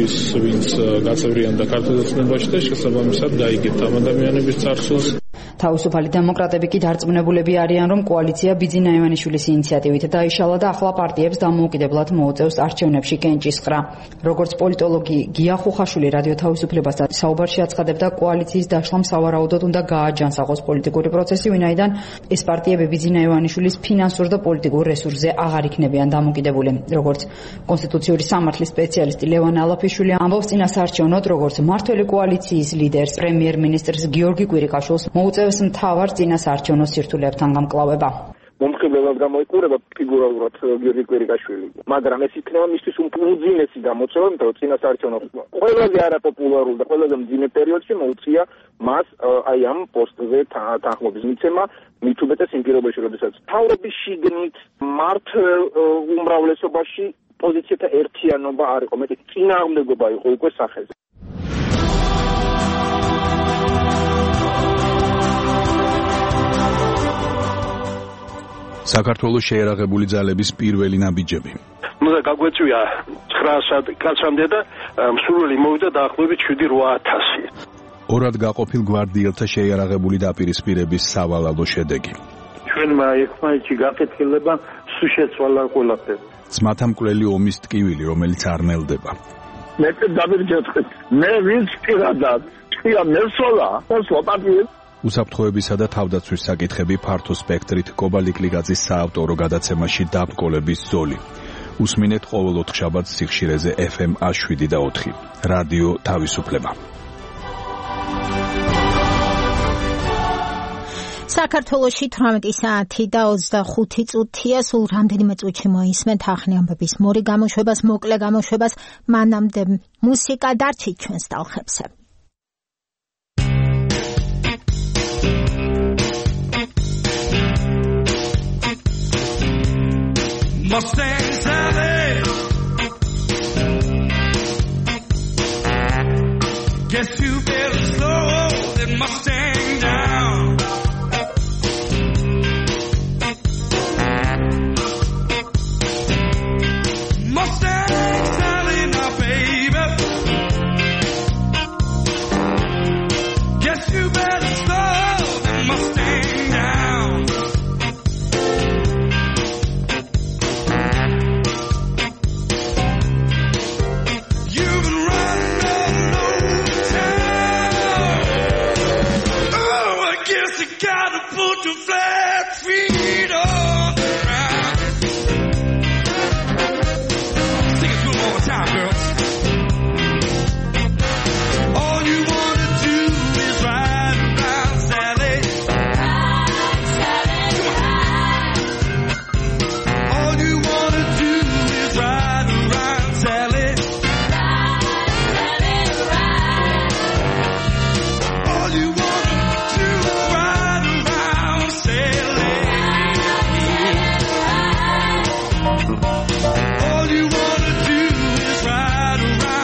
ის ვინც გაწევრიანდა ქართულ ოცნებაში და შესაბამისად დაიგებთ ამ ადამიანების წარსულს. თავისუფალი დემოკრატები კი დარწმუნებულები არიან, რომ კოალიცია ბიძინა ივანიშვილის ინიციატივით დაიშალა და ახლა პარტიებს დამოუკიდებლად მოუწევს არჩევნებში კენჭისყრა. როგორც პოლიტოლოგი გია ხუხაშვილი რადიო თავისუფლებასთან საუბარში აცხადებდა, კოალიციის დაშლამ სავარაუდოდ უნდა გააჯანსაღოს პოლიტიკური პროცესი, ვინაიდან ეს პარტიები ბიძინა ივანიშვილის ფინანსურ და პოლიტიკურ რესურსზე აღარ იქნებიან დამოკიდებული. როგორც კონსტიტუციური სამართლის სპეციალისტი ლევან ალაფიშვილი ამბობს, წინასაარჩევნოდ როგორც მმართველი კოალიციის ლიდერს, პრემიერ-მინისტრს გიორგი კვირიკაშვილს მოუწევს მთავარ წინასაარჩევნო სირთულეებთან გამკლავება. მომხიბლელად გამოიყურება ფიგურალურად გიორგი კვირიკაშვილი. მაგრამ ეს იქნება მისთვის უძინესი გამოწვევა, იმიტომ რომ წინა საარჩევნო ყველაზე არაპოპულარულ და ყველაზე მძიმე პერიოდში მოუწია მას აი ამ პოსტზე თანხმობის მიცემა, მით უმეტეს იმ პირობებში, როდესაც თავრობის შიგნით მართლ უმრავლესობაში პოზიციათა ერთიანობა არ იყო, მეტი წინააღმდეგობა იყო უკვე სახეზე. საქართველოს შეერაღებული ძალების პირველი ნაბიჯები. ნუ და გაგვეწვია ცხრაასად კაცამდე და მსურველი მოვიდა დაახლოებით შვიდი რვა ათასი. ორად გაყოფილ გვარდიელთა შეიარაღებული დაპირისპირების სავალალო შედეგი. ჩვენმა ერთმანეთში გაკეთილება სულ შეცვალა ყველაფერი. ძმათა მკვლელი ომის ტკივილი, რომელიც არ ნელდება. მე დავირჯეთხეთ. მე ვინც პირადად თქვია მესოლა, მოსლა პატიეს. უსაფრთხოებისა და თავდაცვის საკითხები ფართო სპექტრით კობალიკლიგაძის საავტორო გადაცემაში დაბრკოლების ზოლი. უსმინეთ ყოველ ოთხშაბათს სიხშირეზე ეფ ემ შვიდი და ოთხი. რადიო თავისუფლება. საქართველოში თვრამეტი საათი და ოცდახუთი წუთია, სულ რამდენიმე წუთში მოისმენთ ახალი ამბების მორი გამოშვებას, მოკლე გამოშვებას, მანამდე მუსიკა დარჩით ჩვენს ტალხებზე. Mustang Sally, guess you better slow that Mustang down. Mustang Sally, now baby, guess you better slow that Mustang down. Gotta put your flat feet on the ground. Sing it one more time, girls. All you wanna do is ride around, Sally. Ride, Sally, ride. All you wanna do is ride around, Sally. Ride, Sally, ride. All you wanna do is ride. All you wanna do is ride around.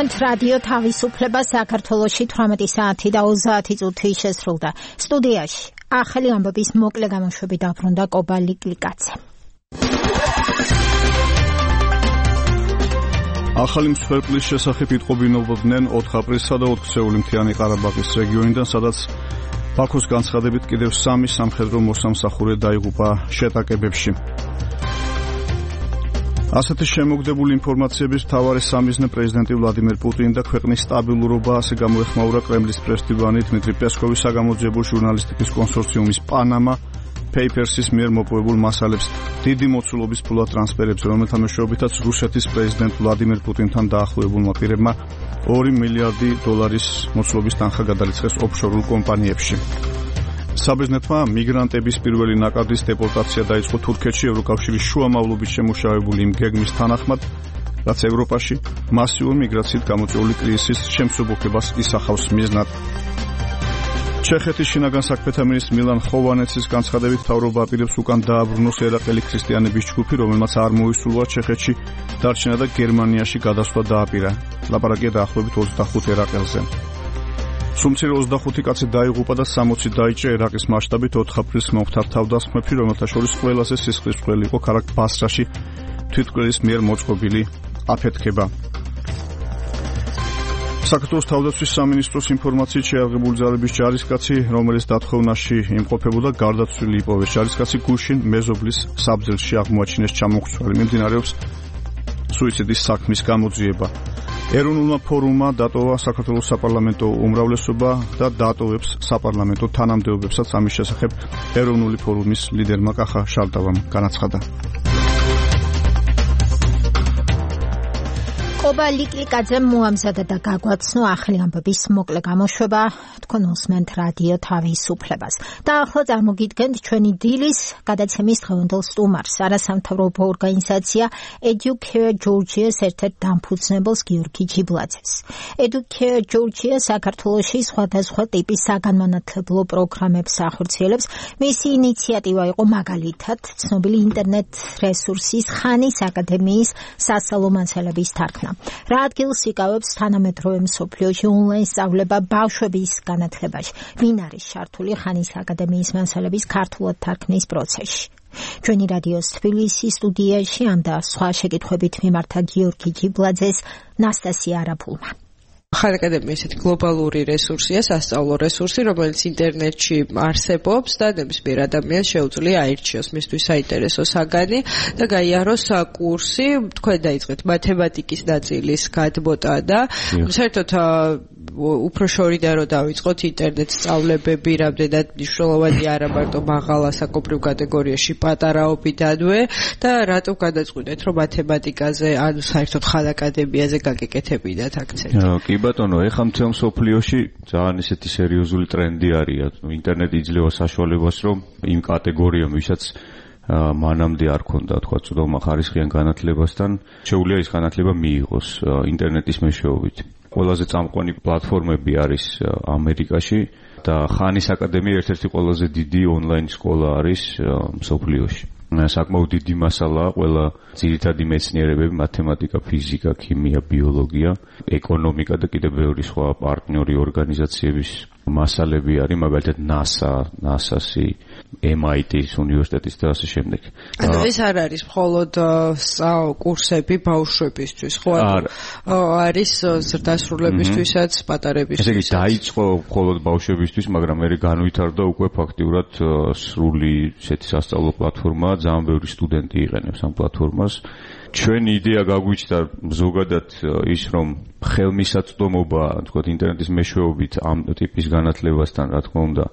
გულისხმობთ რადიო თავისუფლება საქართველოში თვრამეტი საათი და ოცდაათი წუთი შესრულდა. სტუდიაში ახალი ამბების მოკლე გამოშვები დაბრუნდა კობა ლიკლიკაძე. ახალი მსხვერპლის შესახებ იტყობინებოდნენ ოთხ აპრილსა და ოთხ სეული მთიანი ყარაბაღის რეგიონიდან, სადაც ბაქოს განცხადებით კიდევ სამი სამხედრო მოსამსახურე დაიღუპა შეტაკებებში. ასეთი შემოგდებული ინფორმაციების მთავარი სამიზნე პრეზიდენტი ვლადიმერ პუტინი და ქვეყნის სტაბილურობა, ასე გამოეხმაურა კრემლის პრესდივანი დმიტრი პესკოვის საგამოძიებო ჟურნალისტიკის კონსორციუმის პანამა Papers-ის მიერ მოპოვებულ მასალებს დიდი მოცულობის ფულად ტრანსფერებს, რომელთა მეშვეობითაც რუსეთის პრეზიდენტ ვლადიმერ პუტინთან დაახლოებულმა პირებმა ორი მილიარდი დოლარის მოცულობის თანხა გადაიწყეს ოფშორულ კომპანიებში. საბერძნეთმა მიგრანტების პირველი ნაკადის დეპორტაცია დაიწყო თურქეთში ევროკავშირის შუამავლობით შემუშავებული იმ გეგმის თანახმად, რაც ევროპაში მასიურ მიგრაციით გამოწვეული კრიზისის შემსუბუქებას ისახავს მიზნად. ჩეხეთის შინაგან საქმეთა მინისტრ მილან ხოვანეცის განცხადებით მთავრობა აპირებს უკან დააბრუნოს ერაყელი ქრისტიანების ჯგუფი, რომელმაც არ მოისურვა ჩეხეთში დარჩენა და გერმანიაში გადასვლა დააპირა. ლაპარაკია დაახლოებით ოცდახუთ ერაყელზე. სუმცირ ოცდახუთი კაცი დაიღუპა და სამოცი დაიჭრა ერაყის მასშტაბით ოთხ აპრილს მომხდარ თავდასხმებში, რომელთა შორის ყველაზე სისხლისმღვრელი იყო ქალაქ ბასრაში თვითმკვლელის მიერ მოწყობილი აფეთქება. საქართველოს თავდაცვის სამინისტროს ინფორმაციით შეაღებული ძალების ჯარისკაცი, რომელიც დათხოვნაში იმყოფებოდა, გარდაცვლილი იპოვეს. ჯარისკაცი გუშინ მეზობლის საბძელში აღმოაჩინეს ჩამოხრწველი. მიმდინარეობს სუიციდის საქმის გამოძიება. ეროვნულმა ფორუმმა დატოვა საქართველოს საპარლამენტო უმრავლესობა და დატოვებს საპარლამენტო თანამდებობებსაც. ამის შესახებ ეროვნული ფორუმის ლიდერმა კახა შალტავამ განაცხადა. კობა ლიკლიკაძემ მოამზადა და გაგვაცნო ახალი ამბების მოკლე გამოშვება. თქვენ უსმენთ რადიო თავისუფლებას. და ახლა წარმოგიდგენთ ჩვენი დილის გადაცემის დღევანდელ სტუმარს, არასამთავრობო ორგანიზაცია Educare Georgia-ს ერთ-ერთ დამფუძნებელს გიორგი ჯიბლაძეს. Educare Georgia საქართველოში სხვადასხვა ტიპის საგანმანათლებლო პროგრამებს ახორციელებს. მისი ინიციატივა იყო მაგალითად ცნობილი ინტერნეტ რესურსის ხანის აკადემიის სასწავლო მასალების თარგმნა. რა ადგილს იკავებს თანამედროვე მსოფლიოში ონლაინ სწავლება ბავშვების განათლებაში? ვინ არის ჩართული ხანის აკადემიის მასალების ქართულად თარგმნის პროცესში? ჩვენი რადიოს თბილისის სტუდიაში ამ და სხვა შეკითხვებით მიმართა გიორგი ჯიბლაძეს ნასტასია არაფულმა. ხანის აკადემია ესეთი გლობალური რესურსია, სასწავლო რესურსი, რომელიც ინტერნეტში არსებობს და ნებისმიერ ადამიანს შეუძლია აირჩიოს მისთვის საინტერესო საგანი და გაიაროს კურსი. თქვენ დაიწყეთ მათემატიკის ნაწილის გადმოტა და საერთოდ უფრო შორიდან რომ დავიწყოთ ინტერნეტ სწავლებები რამდენად მნიშვნელოვანი არა მარტო მაღალა საკუთრივ კატეგორიაში პატარაობიდანვე და რატომ გადაწყვიტეთ რომ მათემატიკაზე ანუ საერთოდ ხანის აკადემიაზე გაგეკეთებინათ აქცენტი? კი ბატონო, ეხლა მთელ მსოფლიოში ძალიან ისეთი სერიოზული ტრენდი არის. ინტერნეტი იძლევა საშუალებას, რომ იმ კატეგორიამ, ვისაც მანამდე არ ქონდა, თქვა, წვდომა ხარისხიან განათლებასთან, შეუძლია ის განათლება მიიღოს ინტერნეტის მეშვეობით. ყველაზე წამყვანი პლატფორმები არის ამერიკაში და ხანის აკადემია ერთ-ერთი ყველაზე დიდი ონლაინ სკოლა არის მსოფლიოში. საკმაოდ დიდი მასალაა ყველა ძირითადი მეცნიერებები, მათემატიკა, ფიზიკა, ქიმია, ბიოლოგია, ეკონომიკა და კიდევ ბევრი სხვა პარტნიორი ორგანიზაციების მასალები არის, მაგალითად NASA, ნასასი, ემ აი ტის უნივერსიტეტის და ასე შემდეგ. ანუ ეს არ არის მხოლოდ კურსები ბავშვებისთვის, ხო? არის ზრდასრულებისთვისაც, პატარებისთვისაც. ესე იგი დაიწყო მხოლოდ ბავშვებისთვის, მაგრამ მე განვითარდა უკვე ფაქტიურად სრული ესეთი სასწავლო პლატფორმა, ძალიან ბევრი სტუდენტი იყენებს ამ პლატფორმას. ჩვენი იდეა გაგვიჩნდა ზოგადად ის, რომ ხელმისაწვდომობა, თქვათ, ინტერნეტის მეშვეობით ამ ტიპის განათლებასთან, რა თქმა უნდა,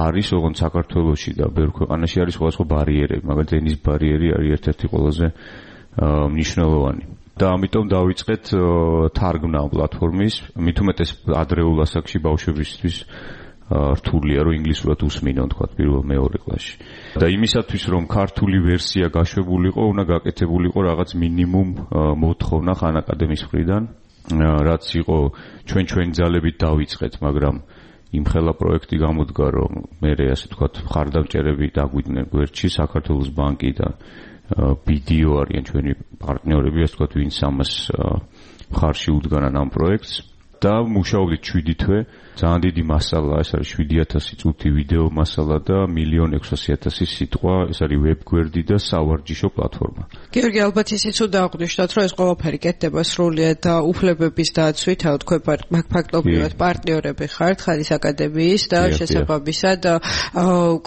არის, ოღონდ საქართველოში და ბევრ ქვეყანაში არის სხვადასხვა ბარიერები, მაგალითად ენის ბარიერი არის ერთ-ერთი ყველაზე მნიშვნელოვანი. და ამიტომ დავიწყეთ თარგმნა პლატფორმის, მით უმეტეს ადრეულ ასაკში ბავშვებისთვის რთულია, რომ ინგლისურად უსმინონ, თქვათ, პირველ მეორე კლასში. და იმისათვის, რომ ქართული ვერსია გაშვებულიყო, უნდა გაკეთებულიყო რაღაც მინიმუმ მოთხოვნა ხანის აკადემიის მხრიდან, რაც იყო ჩვენ ჩვენი ძალებით დავიწყეთ, მაგრამ იმხელა პროექტი გამოდგა, რომ მე ასე თქვათ, მხარდამჭერები დაგვიდნენ გვერდში, საქართველოს ბანკი და ბი დი ო არიან ჩვენი პარტნიორები, ასე ვთქვათ, ვინც ამას მხარში უდგანან ამ პროექტს და მუშაობდით შვიდი თვე. ძალიან დიდი მასალა, ეს არის შვიდი ათასი წუთი ვიდეო მასალა და მილიონ ექვსასი ათასი სიტყვა, ეს არის ვებგვერდი და სავარჯიშო პლატფორმა. გიორგი, ალბათ ისიც უნდა აღვნიშნოთ, რომ ეს ყველაფერი კეთდება სრულიად უფლებების დაცვით, აუ თქვენ ფაქტობრივად პარტნიორები ხართ ხარის აკადემიის და შესაბამისად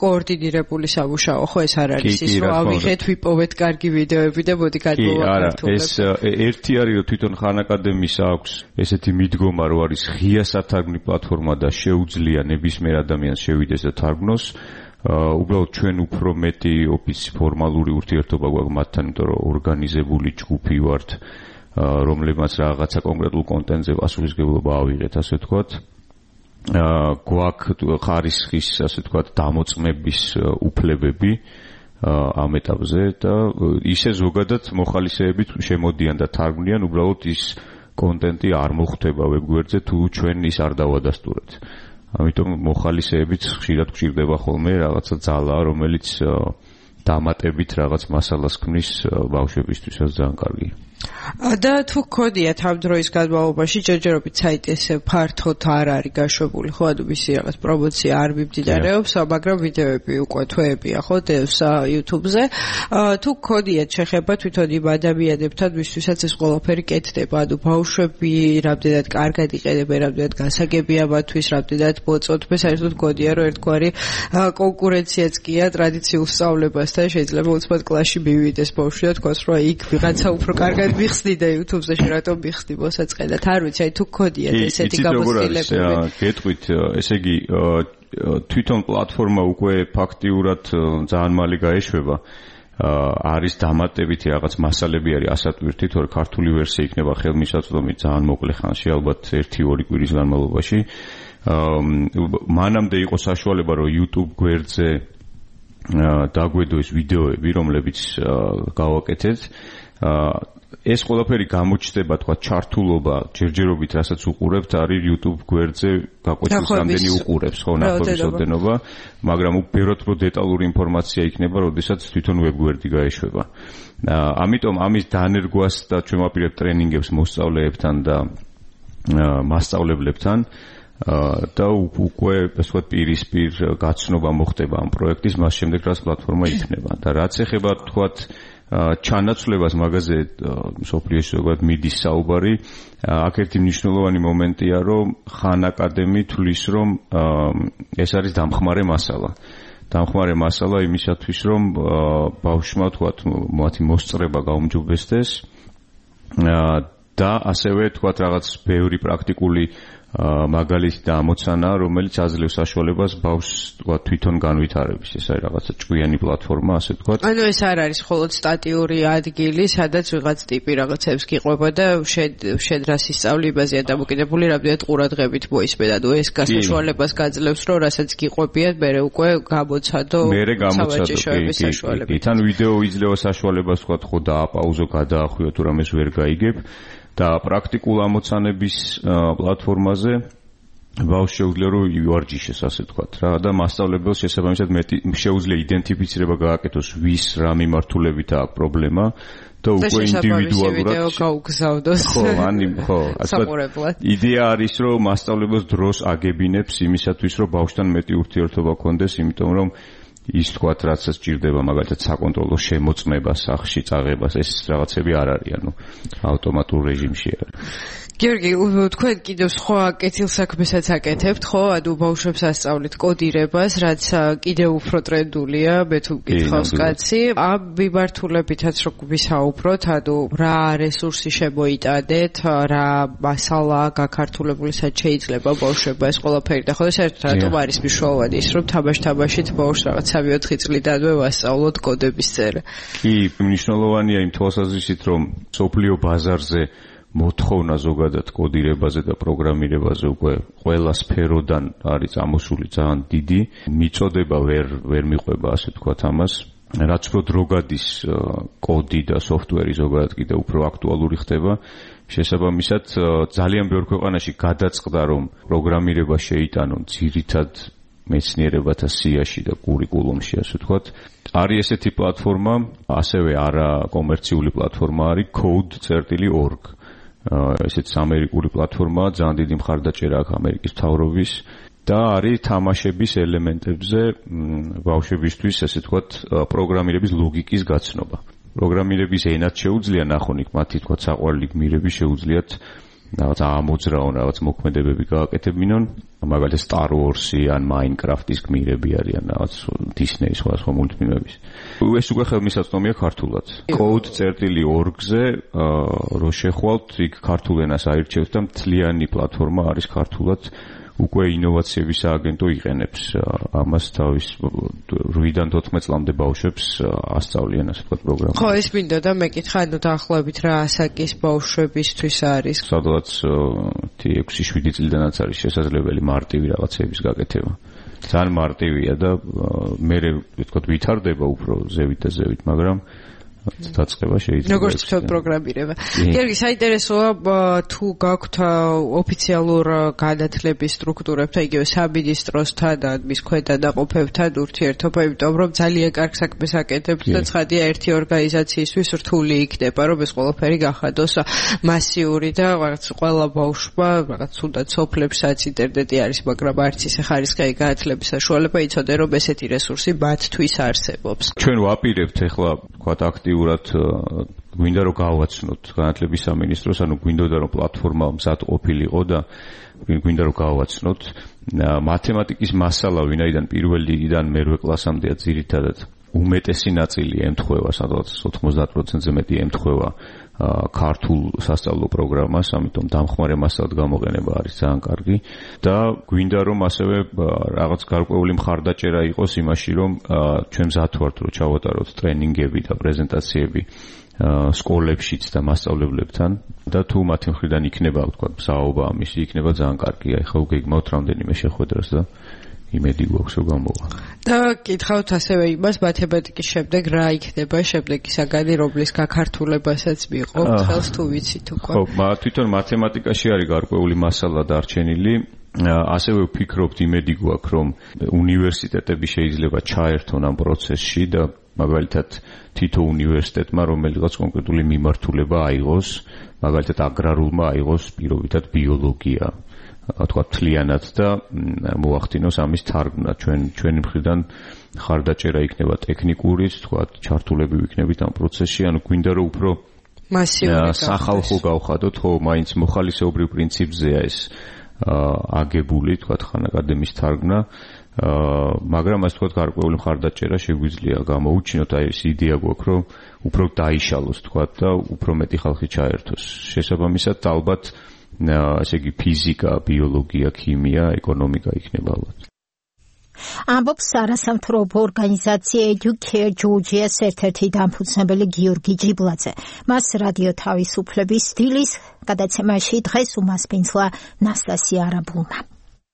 კოორდინირებული სამუშაო, ხო ეს არ არის ის, რომ ავიღეთ, ვიპოვეთ კარგი ვიდეოები და მოდი გადმოვაკეთოთ. ეს ერთი არის, რომ თვითონ ხან აკადემიის აქვს ესეთი მიდგომა, რომ არის ღია სათარგმნი პლატფორმა და შეუძლია ნებისმიერ ადამიანს შევიდეს და თარგმნოს. უბრალოდ ჩვენ უფრო მეტი ოფისი ფორმალური ურთიერთობა გვაქვს მათთან, იმიტომ რომ ორგანიზებული ჯგუფი ვართ, რომლებმაც რაღაცა კონკრეტულ კონტენტზე პასუხისმგებლობა ავიღეთ, ასე ვთქვათ. გვაქვს ხარისხის, ასე ვთქვათ, დამოწმების უფლებები ამ ეტაპზე და ისე ზოგადად მოხალისეებით შემოდიან და თარგმნიან, უბრალოდ ის კონტენტი არ მოხვდება ვებგვერდზე თუ ჩვენ ის არ დავადასტურებთ. ამიტომ მოხალისეებით ხშირად გვჭირდება ხოლმე რაღაცა ძალა, რომელიც დამატებით რაღაც მასალას ქმნის ბავშვებისთვისაც ძალიან კარგია. და თუ გქონიათ ამ დროის განმავლობაში ჯერჯერობით საიტი ესე ფართოდ არ არის გაშვებული, ხო, ანუ მისი რაღაც პრომოცია არ მიმდინარეობს, მაგრამ ვიდეოები უკვე თვეებია, ხო, დევს YouTube-ზე. თუ გქონიათ შეხება თვითონ იმ ადამიანებთან, ვისთვისაც ეს ყველაფერი კეთდება, ანუ ბავშვები რამდენად კარგად იყენებენ, რამდენად გასაგებია მათთვის, რამდენად მოწონთ, მე საერთოდ გქონია, რომ ერთგვარი კონკურენციაც კია ტრადიციულ სწავლებასთან, შეიძლება უცბად კლასში მივიდეს ბავშვი და თქვას, რომ იქ ვიღაცა უფრო კარგად მიხსნი და YouTube-ზე შერატომ მიხსნი მოსაწყენად. არ ვიცი, აი თუ გქონიათ ესეთი გამოცდილებები. გეტყვით, ესე იგი თვითონ პლატფორმა უკვე ფაქტიურად ძალიან მალე გაეშვება. არის დამატებითი რაღაც მასალები არის ასატვირთით, თორე ქართული ვერსია იქნება ხელმისაწვდომი ძალიან მოკლე ხანში, ალბათ ერთი ორი კვირის განმავლობაში. მანამდე იყო საშუალება, რომ YouTube გვერდზე დაგვედოს ვიდეოები, რომლებიც გავაკეთეთ. ეს ყველაფერი გამოჩნდება, თქვა, ჩართულობა, ჯერჯერობით, რასაც უყურებთ, არის YouTube გვერდზე გაკვეთის რამდენი უყურებს, ხო, ნახევრის ოდენობა, მაგრამ უბრალოდ უფრო დეტალური ინფორმაცია იქნება, როდესაც თვითონ ვებგვერდი გაეშვება. ამიტომ ამის დანერგვას და ჩვენ ვაპირებთ ტრენინგებს მოსწავლეებთან და მასწავლებლებთან და უკვე, ასე ვთქვათ, პირისპირ გაცნობა მოხდება ამ პროექტის, მას შემდეგ რაც პლატფორმა იქნება. და რაც ეხება, თქვათ, ჩანაცვლებას მაგაზე სოფლიოში ზოგადად მიდის საუბარი. აქ ერთი მნიშვნელოვანი მომენტია, რომ ხან აკადემი თვლის, რომ ეს არის დამხმარე მასალა. დამხმარე მასალა იმისათვის, რომ ბავშვმა, თქვათ, მათი მოსწრება გაუმჯობესდეს და ასევე, თქვათ, რაღაც ბევრი პრაქტიკული მაგალითი და ამოცანა, რომელიც აძლევს საშუალებას ბავშვს, თქვა, თვითონ განვითარების. ეს არის რაღაცა ჭკვიანი პლატფორმა, ასე თქვა. ანუ ეს არ არის მხოლოდ სტატიური ადგილი, სადაც ვიღაც ტიპი რაღაცებს გიყვება და შენ რას ისწავლი, იმაზეა დამოკიდებული, რამდენად ყურადღებით მოისმენ. ანუ ეს გასაშუალებას გაძლევს, რომ რასაც გიყვებიან, მერე უკვე გამოცადო სავაჭიშოების საშუალებით. თან ვიდეო იძლევა საშუალებას, თქვა, ხო დააპაუზო, გადაახვიო, თუ რამეს ვერ გაიგებ. და პრაქტიკულ ამოცანების პლატფორმაზე ბავშვს შეუძლია რომ ივარჯიშოს, ასე ვთქვათ რა, და მასწავლებელს შესაბამისად მეტი შეუძლია იდენტიფიცირება გააკეთოს, ვის რა მიმართულებით აქვს პრობლემა და უკვე ინდივიდუალურად ვიდეო გაუგზავნოს. ხო, ანი, ხო, ასე იდეა არის, რომ მასწავლებელს დროს აგებინებს იმისათვის, რომ ბავშვთან მეტი ურთიერთობა გქონდეს, იმიტომ რომ ის თქვათ, რაცაც ჭირდება, მაგალითად საკონტროლო შემოწმება სახში, წაღებას, ეს რაღაცები არ არის, ანუ ავტომატურ რეჟიმში არის. გიორგი, თქვენ კიდევ სხვა კეთილ საქმესაც აკეთებთ, ხო? ანუ ბავშვებს ასწავლით კოდირებას, რაც კიდევ უფრო ტრენდულია, მე თუ მკითხავს კაცი. ამ მიმართულებითაც რო ვისაუბროთ, ანუ რა რესურსი შემოიტანეთ, რა მასალა გაქართულებული, სად შეიძლება ბავშვებმა ეს ყველაფერი და ხო, საერთოდ რატომ არის მნიშვნელოვანი ის, რომ თამაშ-თამაშით ბავშვს რაღაც სამი ოთხი წლიდანვე ვასწავლოთ კოდების წერა. კი, მნიშვნელოვანია იმ თვალსაზრისით, რომ სოფლიო ბაზარზე მოთხოვნა ზოგადად კოდირებაზე და პროგრამირებაზე უკვე ყველა სფეროდან არის წამოსული ძალიან დიდი. მიწოდება ვერ ვერ მიყვება, ასე ვთქვათ ამას. რაც უფრო დრო გადის კოდი და სოფტვერი ზოგადად კიდევ უფრო აქტუალური ხდება. შესაბამისად ძალიან ბევრ ქვეყანაში გადაწყდა, რომ პროგრამირება შეიტანონ ძირითად მეცნიერებათა სიაში და კურიკულუმში, ასე ვთქვათ. არის ესეთი პლატფორმა, ასევე არა კომერციული პლატფორმა არის code dot org. ესეც ამერიკული პლატფორმაა, ძალიან დიდი მხარდაჭერა აქვს ამერიკის მთავრობის და არის თამაშების ელემენტებზე ბავშვებისთვის, ასე ვთქვათ, პროგრამირების ლოგიკის გაცნობა. პროგრამირების ენად შეუძლია ნახონი მათი თქვა საყვარელი გმირები შეუძლიათ რაღაც ამოძრაონ, რაღაც მოქმედებები გააკეთებინონ, მაგალითად Star Wars-ი ან Minecraft-ის გმირები არიან, რაღაც Disney-ის სხვა მულტფილმების. ეს უკვე ხელმისაწვდომია ქართულად. code dot org-ზე რო შეხვალთ, იქ ქართულ ენას აირჩევთ და მთლიანი პლატფორმა არის ქართულად. უკვე ინოვაციების სააგენტო იყენებს ამას თავის რვიდან თოთხმეტ წლამდე ბავშვებს ასწავლიან ასე ვთქვათ პროგრამას. ხო, ეს მინდა და მეკითხა, ანუ დაახლოებით რა ასაკის ბავშვებისთვის არის? სადღაც ექვსი შვიდი წლიდანაც არის შესაძლებელი მარტივი რაღაცების გაკეთება. ძალიან მარტივია და მე ვთქვათ ვითარდება უფრო ზევით და ზევით, მაგრამ დაწყება შეიძლება. როგორც თქვენ პროგრამირება. გიორგი, საინტერესოა თუ გაქვთ ოფიციალურ განათლების სტრუქტურებთან, იგივე სამინისტროსთან და მის ქვედა დაყოფებთან ურთიერთობა, იმიტომ რომ ძალიან კარგ საქმეს აკეთებთ და ცხადია ერთი ორგანიზაციისთვის რთული იქნება, რომ ეს ყველაფერი გახადოს მასიური და რაღაც ყველა ბავშვმა რაღაც თუნდაც სოფლებსაც ინტერნეტი არის, მაგრამ არც ისე ხარისხიანი განათლების საშუალება იცოდე, რომ ესეთი რესურსი მათთვის არსებობს. ჩვენ ვაპირებთ ახლა ვთქვათ აქტიურად გვინდა რომ გავაცნოთ განათლების სამინისტროს, ანუ გვინდოდა რომ პლატფორმა მზად ყოფილიყო და გვინდა რომ გავაცნოთ მათემატიკის მასალა, ვინაიდან პირველ რიგიდან მერვე კლასამდეა ძირითადად უმეტესი ნაწილი ემთხვევა, სადღაც ოთხმოცდაათ პროცენტზე მეტი ემთხვევა ქართულ სასწავლო პროგრამას, ამიტომ დამხმარე მასალად გამოყენება არის ძალიან კარგი და გვინდა რომ ასევე რაღაც გარკვეული მხარდაჭერა იყოს იმაში, რომ ჩვენ მზად ვართ რომ ჩავატაროთ ტრენინგები და პრეზენტაციები სკოლებშიც და მასწავლებლებთან და თუ მათი მხრიდან იქნება, ვთქვათ, მსაობა ამისი, იქნება ძალიან კარგი. აი ხა უგეგმავთ რამდენიმე შეხვედრას და იმედი გვაქვს რომ გამოვა. და კითხავთ ასევე იმას, მათემატიკის შემდეგ რა იქნება შემდეგი საგანი, რომლის გაქართულებასაც მიიღობთ, ხელს თუ ვიცით უკვე. ხო, თვითონ მათემატიკაში არის გარკვეული მასალა დარჩენილი. ასევე ვფიქრობთ, იმედი გვაქვს, რომ უნივერსიტეტები შეიძლება ჩაერთონ ამ პროცესში და მაგალითად თითო უნივერსიტეტმა რომელიღაც კონკრეტული მიმართულება აიღოს, მაგალითად აგრარულმა აიღოს პირობითად ბიოლოგია. თქვა თლიანად და მოახდინოს ამის თარგმნა. ჩვენ ჩვენი მხრიდან ხარდაჭერა იქნება ტექნიკურიც, თქვა ჩართულები ვიქნებით ამ პროცესში, ანუ გვინდა რომ უფრო მასიური სახალხო გავხადოთ, ხო, მაინც მოხალისეობრივ პრინციპზეა ეს აგებული, თქვა ხან აკადემიის თარგმნა, მაგრამ ასე თქვა გარკვეული ხარდაჭერა შეგვიძლია გამოუჩინოთ, აი ეს იდეა გვაქვს, რომ უფრო დაიშალოს, თქვა და უფრო მეტი ხალხი ჩაერთოს. შესაბამისად, ალბათ ასე იგი ფიზიკა, ბიოლოგია, ქიმია, ეკონომიკა იქნება ალბათ. ამბობს არასამთავრობო ორგანიზაცია Educare Georgia-ს ერთ-ერთი დამფუძნებელი გიორგი ჯიბლაძე. მას რადიო თავისუფლების დილის გადაცემაში დღეს უმასპინძლა ნასტასია არაბულმა.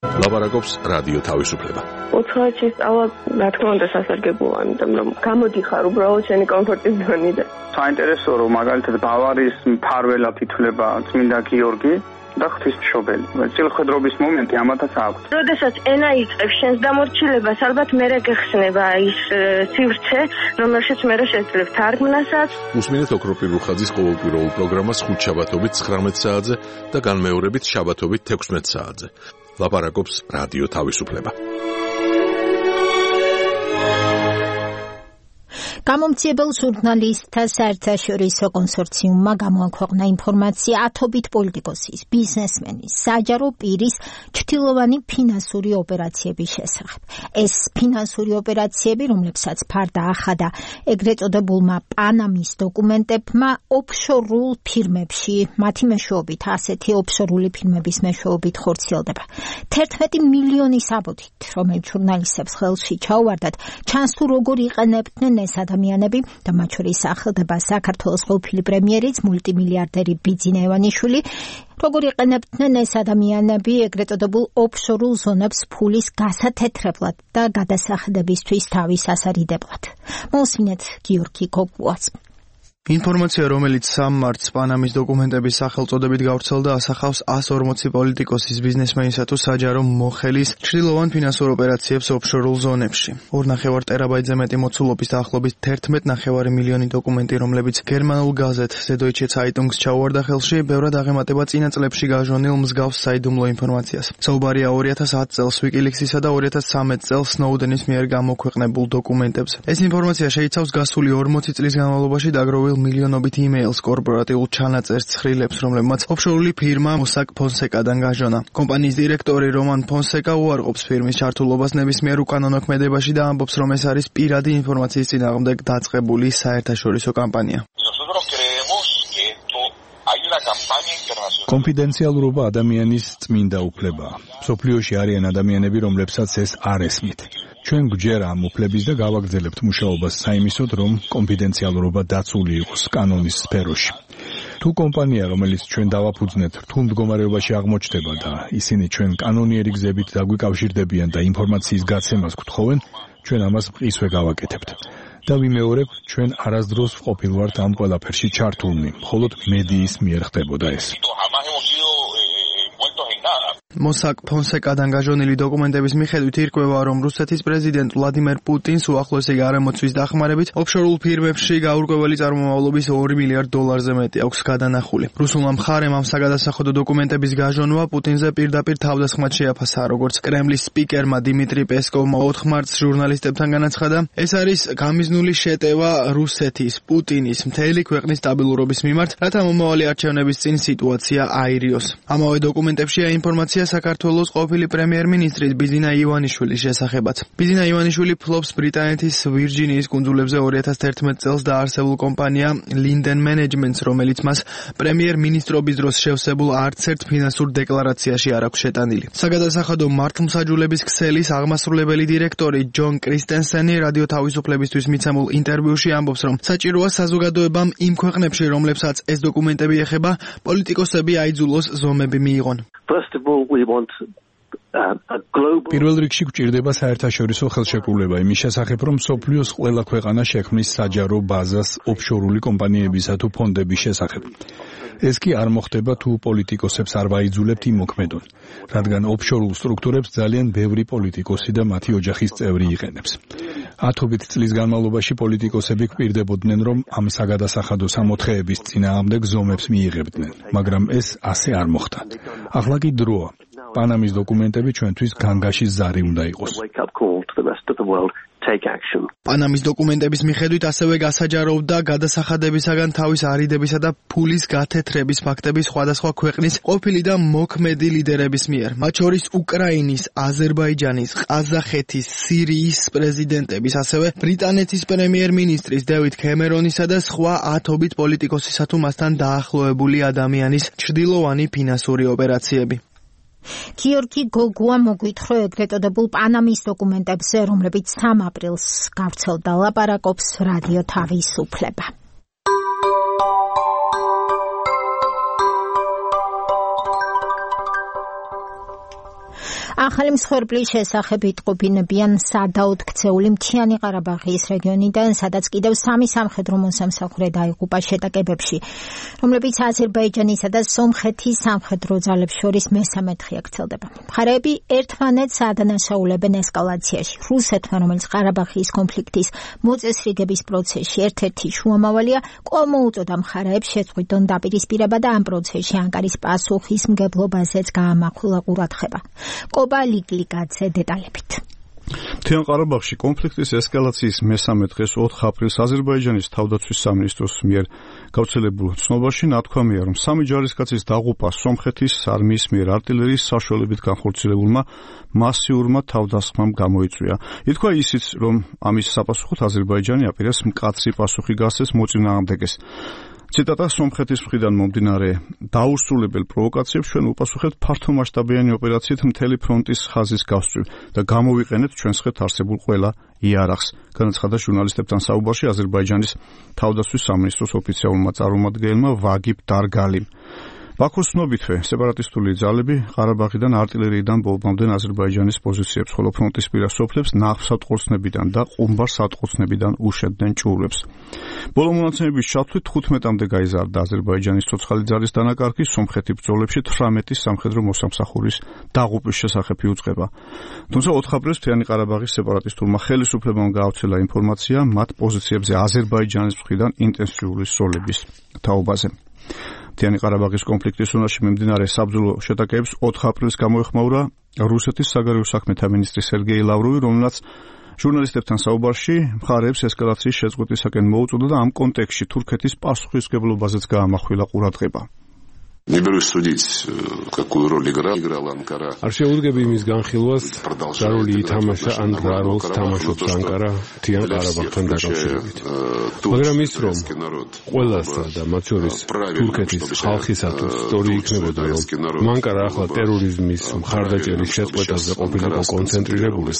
ლაპარაკობს რადიო თავისუფლება. უცხოეთში სწავლა, რა თქმა უნდა, სასარგებლოა, იმიტომ რომ გამოდიხარ უბრალოდ შენი კომფორტის ზონიდან. საინტერესოა, რომ მაგალითად ბავარიის მფარველად ითვლება წმინდა გიორგი და ღვთისმშობელი. წილხედრობის მომენტი ამათაც აქვს. როდესაც ენა იწყებს შენს დამორჩილებას, ალბათ მერე გეხსნება ის სივრცე, რომელშიც მერე შეძლებ თარგმნასაც. უსმინეთ ოქროპირ რუხაძის ყოველკვირეულ პროგრამას ხუთშაბათობით ცხრამეტ საათზე და განმეორებით შაბათობით თექვსმეტ საათზე. ლაპარაკობს რადიო თავისუფლება. გამომცემელ ჟურნალისტთა საერთაშორისო კონსორციუმმა გამოაქვეყნა ინფორმაცია ათობით პოლიტიკოსის, ბიზნესმენის, საჯარო პირის ჩtildeოვანი ფინანსური ოპერაციების შესახებ. ეს ფინანსური ოპერაციები, რომლებსაც ფარდა ახადა ეგრეთ წოდებულმა პანამის დოკუმენტებმა, ოფშორულ ფირმებში, მათი მეშვეობით, ასეთი ოფშორული ფირმების მეშვეობით ხორციელდება. თერთმეტი მილიონის აბოდით, რომელიც ჟურნალისტებს ხელში ჩაუვარდათ, ჩანს თუ როგორ იყენებდნენ ეს ადამიანები და მათ შორის სახელდება საქართველოს ყოფილი პრემიერიც მულტიმილიარდერი ბიძინა ევანიშვილი, როგორ იყენებდნენ ეს ადამიანები ეგრეთ წოდებულ ოფშორულ ზონებს ფულის გასათეთრებლად და გადასახადებისთვის თავის ასარიდებლად. მოსმინეთ გიორგი გოგუას. ინფორმაცია, რომელიც სამ მარტს პანამის დოკუმენტების სახელწოდებით გავრცელდა, ასახავს εκατს ორმოცი პოლიტიკოსის, ბიზნესმენისა თუ საჯარო მოხელის ჩრდილოვან ფინანსურ ოპერაციებს ოფშორულ ზონებში. ორ ნახევარ ტერაბაიტზე მეტი მოცულობის დაახლოებით თერთმეტ ნახევარი მილიონი დოკუმენტი, რომლებიც გერმანულ გაზეთ Süddeutsche Zeitung's ჩაუვარდა ხელში, ბევრად აღემატება წინა წლებში გაჟონილ მსგავს საიდუმლო ინფორმაციას. საუბარია ორი ათას ათი წელს Wikileaks-ისა და ორი ათას ცხრამეტ წელს Snowden-ის მიერ გამოქვეყნებულ დოკუმენტებზე. ეს ინფორმაცია შეიცავს გასული ორმოცი წლის განმავლობაში დაგროვილ მილიონობით იმეილს, კორპორატიულ ჩანაწერს, ცხრილებს, რომლებმაც ოფშორული ფირმა Mossack Fonseca-დან გაჟონა. კომპანიის დირექტორი რომან Fonseca უარყოფს ფირმის ჩართულობას ნებისმიერ უკანონო ქმედებაში და ამბობს, რომ ეს არის პირადი ინფორმაციის წინააღმდეგ დაწყებული საერთაშორისო კამპანია. კონფიდენციალურობა ადამიანის წმინდა უფლებაა. სოფლიოში არიან ადამიანები, რომლებსაც ეს არ ესმით. ჩვენ გვჯერა ამ უფლების და გავაგრძელებთ მუშაობას საიმისოდ, რომ კონფიდენციალურობა დაცული იყოს კანონის სფეროში. თუ კომპანია, რომელიც ჩვენ დავაფუძნეთ, რთულ მდგომარეობაში აღმოჩნდება და ისინი ჩვენ კანონიერი გზებით დაგვიკავშირდებიან და ინფორმაციის გაცემას გთხოვენ, ჩვენ ამას მყისვე გავაკეთებთ. და ვიმეორებ, ჩვენ არასდროს ვყოფილვართ ამ ყველაფერში ჩართულნი, მხოლოდ მედიის მიერ ხდებოდა ეს. Mossack Fonseca-დან გაჟონილი დოკუმენტების მიხედვით ირკვევა, რომ რუსეთის პრეზიდენტ ვლადიმერ პუტინს უახლოესი გარემოცვის დახმარებით ოფშორულ ფირმებში გაურკვეველი წარმომავლობის ორი მილიარდ დოლარზე მეტი აქვს გადანახული. რუსულმა მხარემ ამ საგადასახადო დოკუმენტების გაჟონვა პუტინზე პირდაპირ თავდასხმად შეაფასა, როგორც კრემლის სპიკერმა დიმიტრი პესკოვმა ოთხ მარტს ჟურნალისტებთან განაცხადა. ეს არის გამიზნული შეტევა რუსეთის, პუტინის, მთელი ქვეყნის სტაბილურობის მიმართ, რათა მომავალი არჩევნების წინ სიტუაცია აირიოს. ამავე დოკუმენტებშია ინფორმაცია საქართველოს ყოფილი პრემიერ-მინისტრის ბიზინა ივანიშვილის შესახებაც. ბიზინა ივანიშვილი ფლობს ბრიტანეთის ვირჯინიის კუნძულებზე ორი ათას თერთმეტ წელს დაარსებულ კომპანია Linden Management-ს, რომელიც მას პრემიერ-მინისტრობის დროს შევსებულ არც ერთ ფინანსურ დეკლარაციაში არ აქვს შეტანილი. საგადასახადო მართლმსაჯულების ქსელის აღმასრულებელი დირექტორი ჯონ კრისტენსენი რადიო თავისუფლებისთვის მიცემულ ინტერვიუში ამბობს, რომ საჭიროა საზოგადოებამ იმ ქვეყნებში, რომლებსაც ეს დოკუმენტები ეხება, პოლიტიკოსები აიძულოს ზომები მიიღონ. First of all, we want პირველ რიგში გვჭირდება საერთაშორისო ხელშეკრულება იმის შესახებ, რომ სოფლიოს ყველა ქვეყანა შექმნის საჯარო ბაზას ოფშორული კომპანიებისა თუ ფონდების შესახებ. ეს კი არ მოხდება თუ პოლიტიკოსებს არ ვაიძულებთ იმ მოქმედონ, რადგან ოფშორულ სტრუქტურებს ძალიან ბევრი პოლიტიკოსი და მათი ოჯახის წევრი იყენებს. ათობით წლის განმავლობაში პოლიტიკოსები გვპირდებოდნენ, რომ ამ საგადასახადო სამოთხეების წინააღმდეგ ზომებს მიიღებდნენ, მაგრამ ეს ასე არ მოხდა. ახლა კი დროა. პანამის დოკუმენტები ჩვენთვის განგაშის ზარი უნდა იყოს. პანამის დოკუმენტების მიხედვით ასევე გასაჯაროვდა გადასახადებისაგან თავის არიდებისა და ფულის გათეთრების ფაქტები სხვადასხვა ქვეყნის ყოფილი და მოქმედი ლიდერების მიერ, მათ შორის უკრაინის, აზერბაიჯანის, ყაზახეთის, სირიის პრეზიდენტების, ასევე ბრიტანეთის პრემიერ-მინისტრის დევიდ კემერონისა და სხვა ათობით პოლიტიკოსისა თუ მასთან დაახლოებული ადამიანის ჩრდილოვანი ფინანსური ოპერაციები. გიორგი გოგუა მოგვითხრა ეგრეთ წოდებულ პანამის დოკუმენტებზე, რომლებიც სამ აპრილს გავრცელდა, ლაპარაკობს რადიო თავისუფლება. ახალი მსხვერპლის შესახებ იტყობინებიან სადაოდ ქცეული მთიანი ყარაბაღის რეგიონიდან, სადაც კიდევ სამი სამხედრო მოსამსახურე დაიღუპა შეტაკებებში, რომლებიც აზერბაიჯანისა და სომხეთის სამხედრო ძალებს შორის მესამეთხე აქცელდება. მხარეები ერთმანეთს ადანაშაულებენ ესკალაციაში. რუსეთმა, რომელიც ყარაბაღის კონფლიქტის მოწესრიგების პროცესში ერთ-ერთი შუამავალია, კვლავ მოუწოდა მხარეებს შეწყვიტონ დაპირისპირება და ამ პროცესში ანკარის პასუხისმგებლობაზეც გაამახვილა ყურადღება. ლიკლიკაძე დეტალებით. მთიან ყარაბაღში კონფლიქტის ესკალაციის მესამე დღეს ოთხ აპრილს აზერბაიჯანის თავდაცვის სამინისტროს მიერ გავრცელებულ ცნობაში ნათქვამია, რომ სამი ჯარისკაცის დაღუპვა სომხეთის არმიის მიერ артиლერიის საშუალებით განხორციელებულმა მასიურმა თავდასხმამ გამოიწვია. ითქვა ისიც, რომ ამის საპასუხოდ აზერბაიჯანი აპირებს მკაცრი პასუხი გასცეს მოწინააღმდეგეს. ციტატა: სომხეთის მხრიდან მომდინარე დაუსრულებელ პროვოკაციებს ჩვენ უპასუხებთ ფართომასშტაბიანი ოპერაციით მთელი ფრონტის ხაზის გასწვრივ და გამოვიყენებთ ჩვენს ხეთ არსებულ ყველა იარაღს, განაცხადა ჟურნალისტებთან საუბარში აზერბაიჯანის თავდაცვის სამინისტროს ოფიციალურმა წარმომადგენელმა ვაგიბ დარგალიმ. ბაქოს ცნობითვე სეპარატისტული ძალები ყარაბაღიდან არტილერიიდან ბომბამდე აზერბაიჯანის პოზიციებს, ხოლო ფრონტისპირა სოფლებს ნავსატყორცნებიდან და ყუმბარ-სატყორცნებიდან უშევდნენ ჭურვებს. ბოლო მონაცემების ჩათვლით თხუთმეტამდე გაიზარდა აზერბაიჯანის ცოცხალი ძალის დანაკარგი, სომხეთი ბრძოლებში თვრამეტი სამხედრო მოსამსახურის დაღუპვის შესახებ იუწყება. თუმცა ოთხ აპრილს მთიანი ყარაბაღის სეპარატისტულმა ხელისუფლებამ გაავრცელა ინფორმაცია მათ პოზიციებზე აზერბაიჯანის მხრიდან ინტენსიური სროლების თაობაზე. მთიანი ყარაბაღის კონფლიქტის უნარში მიმდინარე საბრძოლო შეტაკებებს ოთხ აპრილს გამოეხმაურა რუსეთის საგარეო საქმეთა მინისტრი სერგეი ლავროვი, რომელმაც ჟურნალისტებთან საუბარში მხარეებს ესკალაციის შეწყვეტისაკენ მოუწოდა და ამ კონტექსტში თურქეთის პასუხისმგებლობაზეც გაამახვილა ყურადღება. Не берусь судить, какую роль играла Анкара. არ შეუდგები იმის განხილვას, რა როლი ითამაშა ან რა როლს თამაშობს ანკარა მთიან ყარაბაღთან დაკავშირებით. მაგრამ ის რომ ყველასა და მათ შორის თურქეთის ხალხისათვის სწორი იქნებოდა, რომ ანკარა ახლა ტერორიზმის მხარდაჭერის შეწყვეტაზე ყოფილიყო კონცენტრირებული,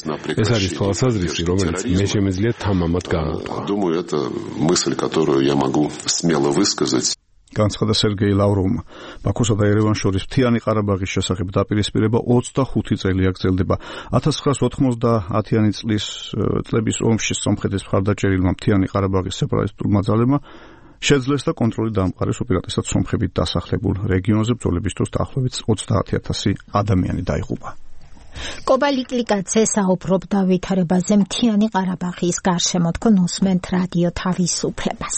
ეს არის თვალსაზრისი, რომელიც მე შემეძლია თამამად გამოვთქვა. Думаю, это мысль, которую я могу смело высказать. განცხადა სერგეი ლავროვმა. ბაქოსა და ერევანს შორის მთიანი ყარაბაღის შესახებ დაპირისპირება ოცდახუთი წელია გრძელდება. ათას ცხრაას ოთხმოცდაათიანი წლის წლების ომში სომხეთის მხარდაჭერილმა მთიანი ყარაბაღის სეპარატისტულმა ძალებმა შეძლეს და კონტროლი დაამყარეს უპირატესად სომხებით დასახლებულ რეგიონზე. ბრძოლების დროს დაახლოებით ოცდაათი ათასი ადამიანი დაიღუპა. კობალიკლიკაცე საუბრობდა ვითარებაზე მთიანი ყარაბაღის გარშემო. თქვენ უსმენთ რადიო თავისუფლებას.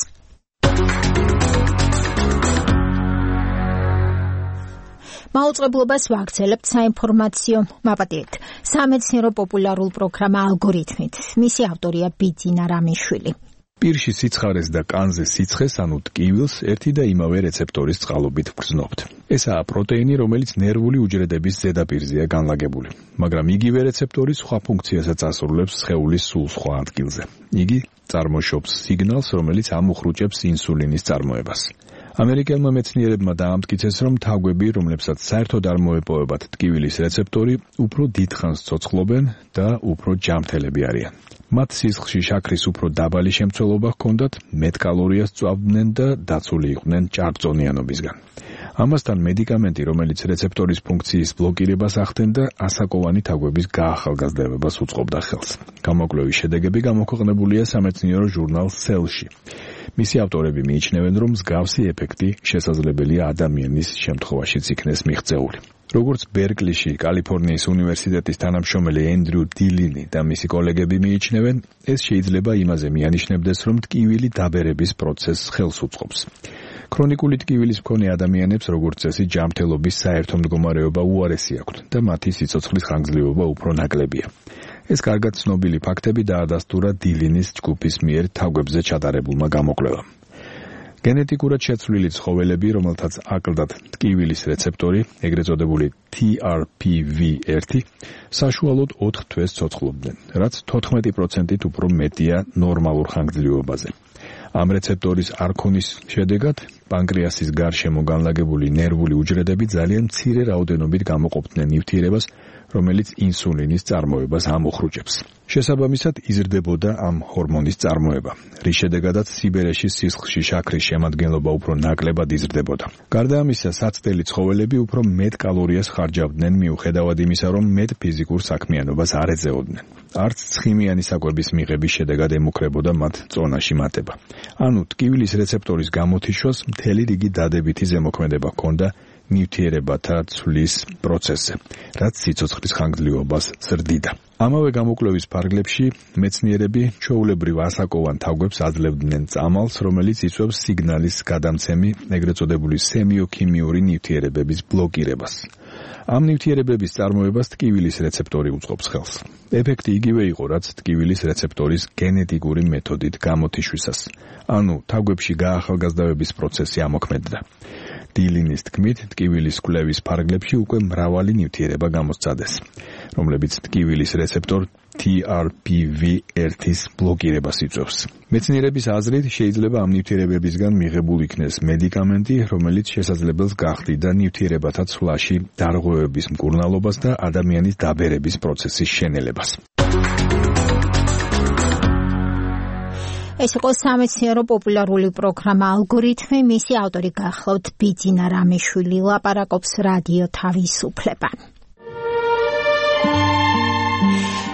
მაუწყებლობას ვაგრძელებთ საინფორმაციო მაპატიეთ. სამეცნიერო პოპულარულ პროგრამა ალგორითმით. მისი ავტორია ბიძინა რამიშვილი. პირში სიცხარეს და კანზე სიცხეს, ანუ ტკივილს, ერთი და იმავე რეცეპტორის წყალობით გრძნობთ. ესაა პროტეინი, რომელიც ნერვული უჯრედების ზედაპირზეა განლაგებული, მაგრამ იგივე რეცეპტორი სხვა ფუნქციასაც ასრულებს სხეულის სულ სხვა ადგილზე. იგი წარმოშობს სიგნალს, რომელიც ამუხრუჭებს ინსულინის წარმოებას. ამერიკელმა მეცნიერებმა დაამტკიცეს, რომ თაგვები, რომლებსაც საერთოდ არ მოეპოვებათ ტკივილის რეცეპტორი, უფრო დიდხანს ცოცხლობენ და უფრო ჯანმრთელები არიან. მათ სისხლში შაქრის უფრო დაბალი შემცველობა ჰქონდათ, მეტ კალორიას წვავდნენ და დაცული იყვნენ ჭარბწონიანობისგან. ამასთან მედიკამენტი, რომელიც რეცეპტორის ფუნქციის ბლოკირებას ახდენდა, ასაკოვანი თაგვების გაახალგაზრდებას უწყობდა ხელს. გამოკვლევის შედეგები გამოქვეყნებულია სამეცნიერო ჟურნალ Cell-ში. მისი ავტორები მიიჩნევენ, რომ მსგავსი ეფექტი შესაძლებელია ადამიანის შემთხვევაშიც იქნეს მიღწეული. როგორც ბერკლიში, კალიფორნიის უნივერსიტეტის თანამშრომელი ენდრიუ დილინი და მისი კოლეგები მიიჩნევენ, ეს შეიძლება იმაზე მიანიშნებდეს, რომ ტკივილი დაბერების პროცესს ხელს უწყობს. ქრონიკული ტკივილის მქონე ადამიანებს, როგორც წესი, ჯანმრთელობის საერთო მდგომარეობა უარესი აქვთ და მათი სიცოცხლის ხანგრძლივობა უფრო ნაკლებია. ეს კარგად ცნობილი ფაქტები დაადასტურა დილინის ჯგუფის მიერ თაგვებზე ჩატარებულმა გამოკვლევამ. გენეტიკურად შეცვლილი ცხოველები, რომელთაც აკლდათ ტკივილის რეცეპტორი, ეგრეთ წოდებული T R P V one, საშუალოდ ოთხ თვეს ცოცხლობდნენ, რაც თოთხმეტი პროცენტით უფრო მეტია ნორმალურ ხანგრძლივობაზე. ამ რეცეპტორის არქონის შედეგად პანკრეასის გარშემო განლაგებული ნერვული უჯრედები ძალიან მცირე რაოდენობით გამოყოფდნენ ნივთიერებას, რომელიც ინსულინის წარმოებას ამოხრუჭებს. შესაბამისად იზრდებოდა ამ ჰორმონის წარმოება, რის შედეგადაც სიბერეში სისხლში შაქრის შემადგენლობა უფრო ნაკლებად იზრდებოდა. გარდა ამისა, საცდელი ცხოველები უფრო მეტ კალორიას ხარჯავდნენ, მიუხედავად იმისა, რომ მეტ ფიზიკურ საქმიანობას არ ეწეოდნენ. არც ცხიმიანი საკვების მიღების შედეგად ემუქრებოდა მათ წონაში მატება. ანუ ტკივილის რეცეპტორის გამოთიშვას მთელი რიგი დადებითი ზემოქმედება ჰქონდა ნივთიერებათა ცვლის პროცესზე, რაც სიცოცხლის ხანგრძლივობას ზრდიდა. ამავე გამოკვლევის ფარგლებში მეცნიერები ჩვეულებრივ ასაკოვან თაგვებს აძლევდნენ წამალს, რომელიც იწვევს სიგნალის გადამცემი, ეგრეთ წოდებული სემიოქიმიური ნივთიერებების ბლოკირებას. ამ ნივთიერებების წარმოებას ტკივილის რეცეპტორი უწყობს ხელს. ეფექტი იგივე იყო, რაც ტკივილის რეცეპტორის გენეტიკური მეთოდით გამოთიშვისას. ანუ თაგვებში გაახალგაზრდების პროცესი ამოქმედდა. დილინის თქმით, ტკივილის კვლევის ფარგლებში უკვე მრავალი ნივთიერება გამოსცადეს, რომლებიც ტკივილის რეცეპტორ T R P V one-ის ბლოკირებას იწვევს. მეცნიერების აზრით, შეიძლება ამ ნივთიერებებისგან მიღებულ იქნეს მედიკამენტი, რომელიც შესაძლებელს გახდიდა ნივთიერებათა ცვლაში დარღვევების მკურნალობას და ადამიანის დაბერების პროცესის შენელებას. ეს იყო სამეცნიერო პოპულარული პროგრამა ალგორითმი, მისი ავტორი გახლავთ ბიძინა რამიშვილი, ლაპარაკობს რადიო თავისუფლება.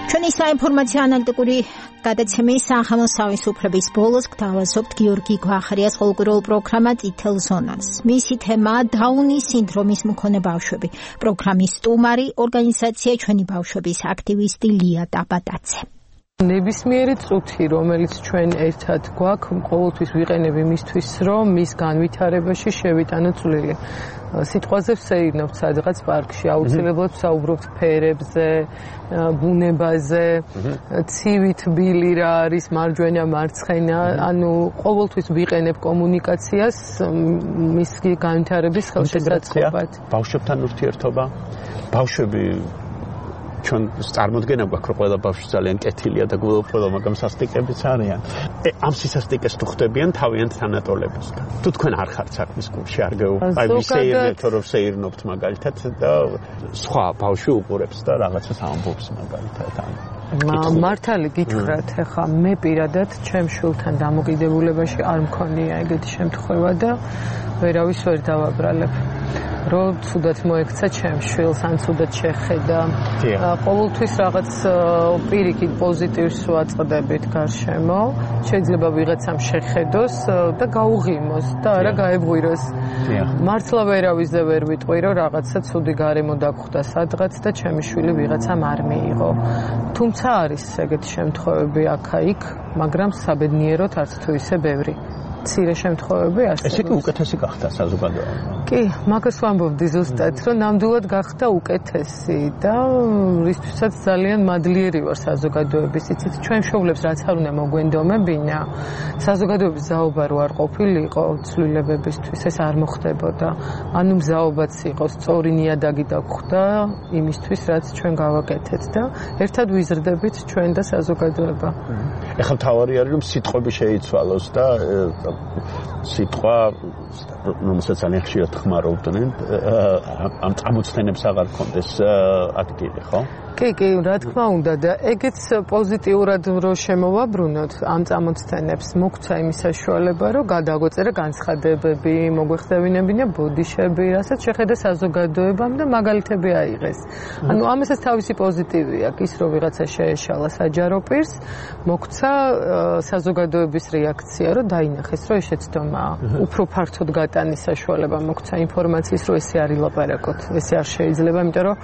ჩვენი საინფორმაციო ანალიტიკური გადაცემის სახელოს თავისუფლების ბოლოს გთავაზობთ გიორგი გვახარიას ყოველკვირეულ პროგრამა წითელ ზონას. მისი თემაა დაუნის სინდრომის მქონე ბავშვები. პროგრამის სტუმარი ორგანიზაცია ჩვენი ბავშვების აქტივისტი ლია დაბადაძე. ნებისმიერი წუთი, რომელიც ჩვენ ერთად გვაქვს, ყოველთვის ვიყენებ იმისთვის, რომ მის განვითარებაში შევიტანოთ წვლილი. სიტყვაზე ვსეირნობთ სადღაც პარკში, აუცილებლად ვსაუბრობთ ფერებზე, ბუნებაზე, ცივი თბილი რა არის, მარჯვენა, მარცხენა, ანუ ყოველთვის ვიყენებ კომუნიკაციას მის განვითარების ხელშესაწყობად. ბავშვებთან ურთიერთობა, ბავშვები ჩვენ წარმოდგენა გვაქვს, რომ ყველა ბავშვი ძალიან კეთილია და გულუბრყვილო, მაგრამ სასტიკებიც არიან. ამ სისასტიკეს თუ ხდებიან თავიანთ თანატოლებისგან. თუ თქვენ არ ხართ საქმის კლუბში, არ გეუბნებთ, აი ვისეირნებთ, რომ ვსეირნობთ მაგალითად და სხვა ბავშვი უყურებს და რაღაცას ამბობს მაგალითად. მართალი გითხრათ, ეხა მე პირადად ჩემ შვილთან დამოკიდებულებაში არ მქონია ეგეთი შემთხვევა და ვერავის ვერ დავაბრალებ. რომ ცუდად მოექცა ჩემ შვილს, ან ცუდად შეხედა. ყოველთვის რაღაც პირიქით პოზიტივს ვაწყდებით გარშემო. შეიძლება ვიღაცამ შეხედოს და გაუღიმოს და არა გაეღვიროს. მართლა ვერავისზე ვერ ვიტყვი, რომ რაღაცა ცუდი გარემო დაგხვდა სადღაც და ჩემი შვილი ვიღაცამ არ მიიღო. თუმცა არის ეგეთი შემთხვევები აქა-იქ, მაგრამ საბედნიეროდ არც თუ ისე ბევრი. მცირე შემთხვევები არსებობს. ესე კი უკეთესი გახდა საზოგადოება. კი, მაგას ვამბობდი ზუსტად, რომ ნამდვილად გახდა უკეთესი და რისთვისაც ძალიან მადლიერი ვარ საზოგადოების. იცით, ჩვენ მშობლებს რაც არ უნდა მოგვენდომებინა, საზოგადოების ზაობა რო არ ყოფილიყო ცვლილებებისთვის, ეს არ მოხდებოდა. ანუ მზაობაც იყო, სწორი ნიადაგი დაგხვდა იმისთვის, რაც ჩვენ გავაკეთეთ და ერთად ვიზრდებით ჩვენ და საზოგადოება. ეხლა მთავარი არის, რომ სიტყვები შეიცვალოს და სიტყვა, რომელსაც ძალიან ხშირად ხმარობდნენ, ამ წამოწთენებს აღარ ქონდეს ადგილი, ხო? კი, კი, რა თქმა უნდა და ეგეც პოზიტიურად რო შემოვაბრუნოთ ამ წამოწთენებს, მოგვცა იმის საშუალება, რომ გადაგვეწერა განცხადებები, მოგვეხსენებინა ბოდიშები, რასაც შეხედა საზოგადოებამ და მაგალითები აიღეს. ანუ ამასაც თავისი პოზიტივი აქვს, ის რომ ვიღაცა შეეშალა საჯარო პირს, მოგვცა საზოგადოების რეაქცია, რომ დაინახეს, რომ ეს შეცდომაა. უფრო ფართოდ გატანის საშუალება მოგვცა ინფორმაციის, რომ ესე არ ილაპარაკოთ, ესე არ შეიძლება, იმიტომ რომ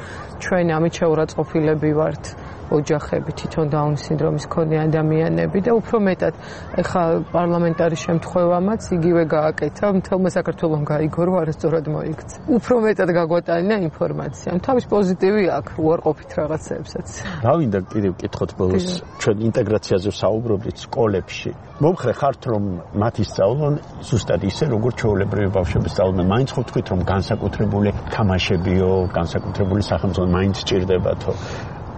ჩვენ ამით შეურაცხყოფილები ვართ ოჯახები, თვითონ დაუნის სინდრომის მქონე ადამიანები და უფრო მეტად ეხა პარლამენტარი შემთხვევამაც იგივე გააკეთა, მთელმა საქართველომ გაიგო, რომ არასწორად მოიქცა. უფრო მეტად გაგვატანა ინფორმაცია. თავის პოზიტივი აქვს, უარყოფით რაღაცეებსაც. რა ვინდა კიდევ ვკითხოთ ბოლოს, ჩვენ ინტეგრაციაზე ვსაუბრობდით სკოლებში. მომხრე ხართ, რომ მათ ისწავლონ ზუსტად ისე, როგორც ჩვეულებრივი ბავშვები სწავლობენ. მაინც ხო თქვით, რომ განსაკუთრებული თამაშებიო, განსაკუთრებული სახელმწიფო მაინც სჭირდებათო.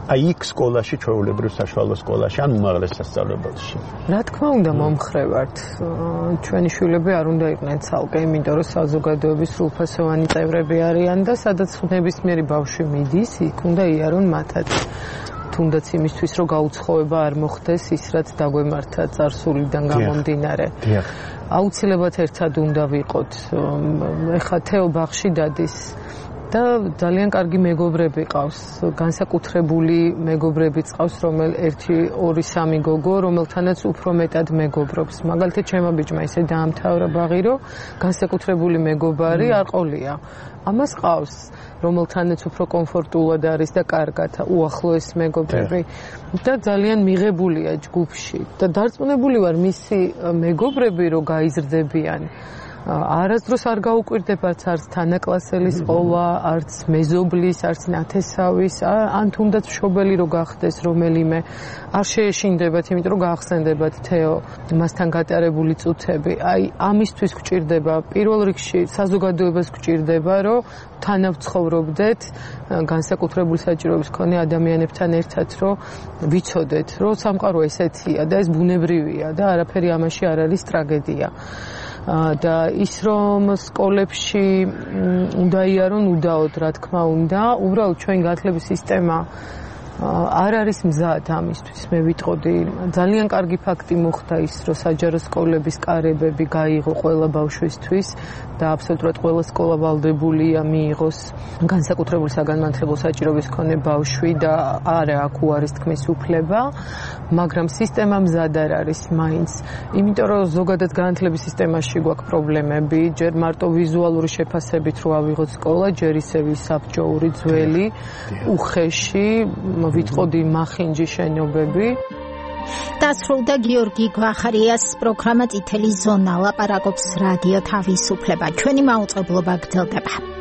აი იქ სკოლაში, ჩვეულებრივ საშუალო სკოლაში, ან უმაღლეს სასწავლებელში. რა თქმა უნდა, მომხრე ვართ. ჩვენი შვილები არ უნდა იყვნენ ცალკე, იმიტომ რომ საზოგადოების სრულფასოვანი წევრები არიან და სადაც ნებისმიერი ბავშვი მიდის, იქ უნდა იარონ მათაც. თუნდაც იმისთვის, რომ გაუცხოება არ მოხდეს ის, რაც დაგვემართა წარსულიდან გამომდინარე. აუცილებლად ერთად უნდა ვიყოთ. ეხა თეო ბაღში დადის და ძალიან კარგი მეგობრები ყავს, განსაკუთრებული მეგობრები ყავს, რომელ ერთი, ორი, სამი გოგო, რომელთანაც უფრო მეტად მეგობრობს. მაგალითად, ჩემო ბიჭმა ისე დაამთავრა ბაღი, რომ განსაკუთრებული მეგობარი არ ყოლია. ამას ყავს, რომელთანაც უფრო კომფორტულად არის და კარგად უახლოეს მეგობრები და ძალიან მიღებულია ჯგუფში და დარწმუნებული ვარ მისი მეგობრები რომ გაიზრდებიან. არასდროს არ გაუკვირდებათ არც თანაკლასელის ყოლა, არც მეზობლის, არც ნათესავის, ან თუნდაც მშობელი რო გახდეს რომელიმე, არ შეეშინდებათ, იმიტომ რომ გაახსენდებათ თეო მასთან გატარებული წუთები. აი, ამისთვის გვჭირდება პირველ რიგში საზოგადოებას გვჭირდება, რომ თანავცხოვრობდეთ განსაკუთრებული საჭიროების მქონე ადამიანებთან ერთად, რომ ვიცოდეთ, რომ სამყარო ესეთია და ეს ბუნებრივია და არაფერი ამაში არ არის ტრაგედია. და ის რომ სკოლებში უნდა იარონ უდაოდ, რა თქმა უნდა, უბრალოდ ჩვენ განათლების სისტემა არ არის მზად ამისთვის. მე ვიტყოდი, ძალიან კარგი ფაქტი მოხდა ის, რომ საჯარო სკოლების კარებები გაიღო ყველა ბავშვისთვის და აბსოლუტურად ყველა სკოლა ვალდებულია მიიღოს განსაკუთრებული საგანმანათლებლო საჭიროების მქონე ბავშვი და არა აქ უარის თქმის უფლება, მაგრამ სისტემა მზად არ არის მაინც. იმიტომ რომ ზოგადად განათლების სისტემაში გვაქვს პრობლემები, ჯერ მარტო ვიზუალური შეფასებით რო ავიღოთ სკოლა, ჯერ ისევ საბჭოური ძველი, უხეში, ვიტყოდი მახინჯი შენობები. დასრულდა გიორგი გვახარიას პროგრამა წითელი ზონა, ლაპარაკობს რადიო თავისუფლება. ჩვენი მაუწყებლობა გრძელდება.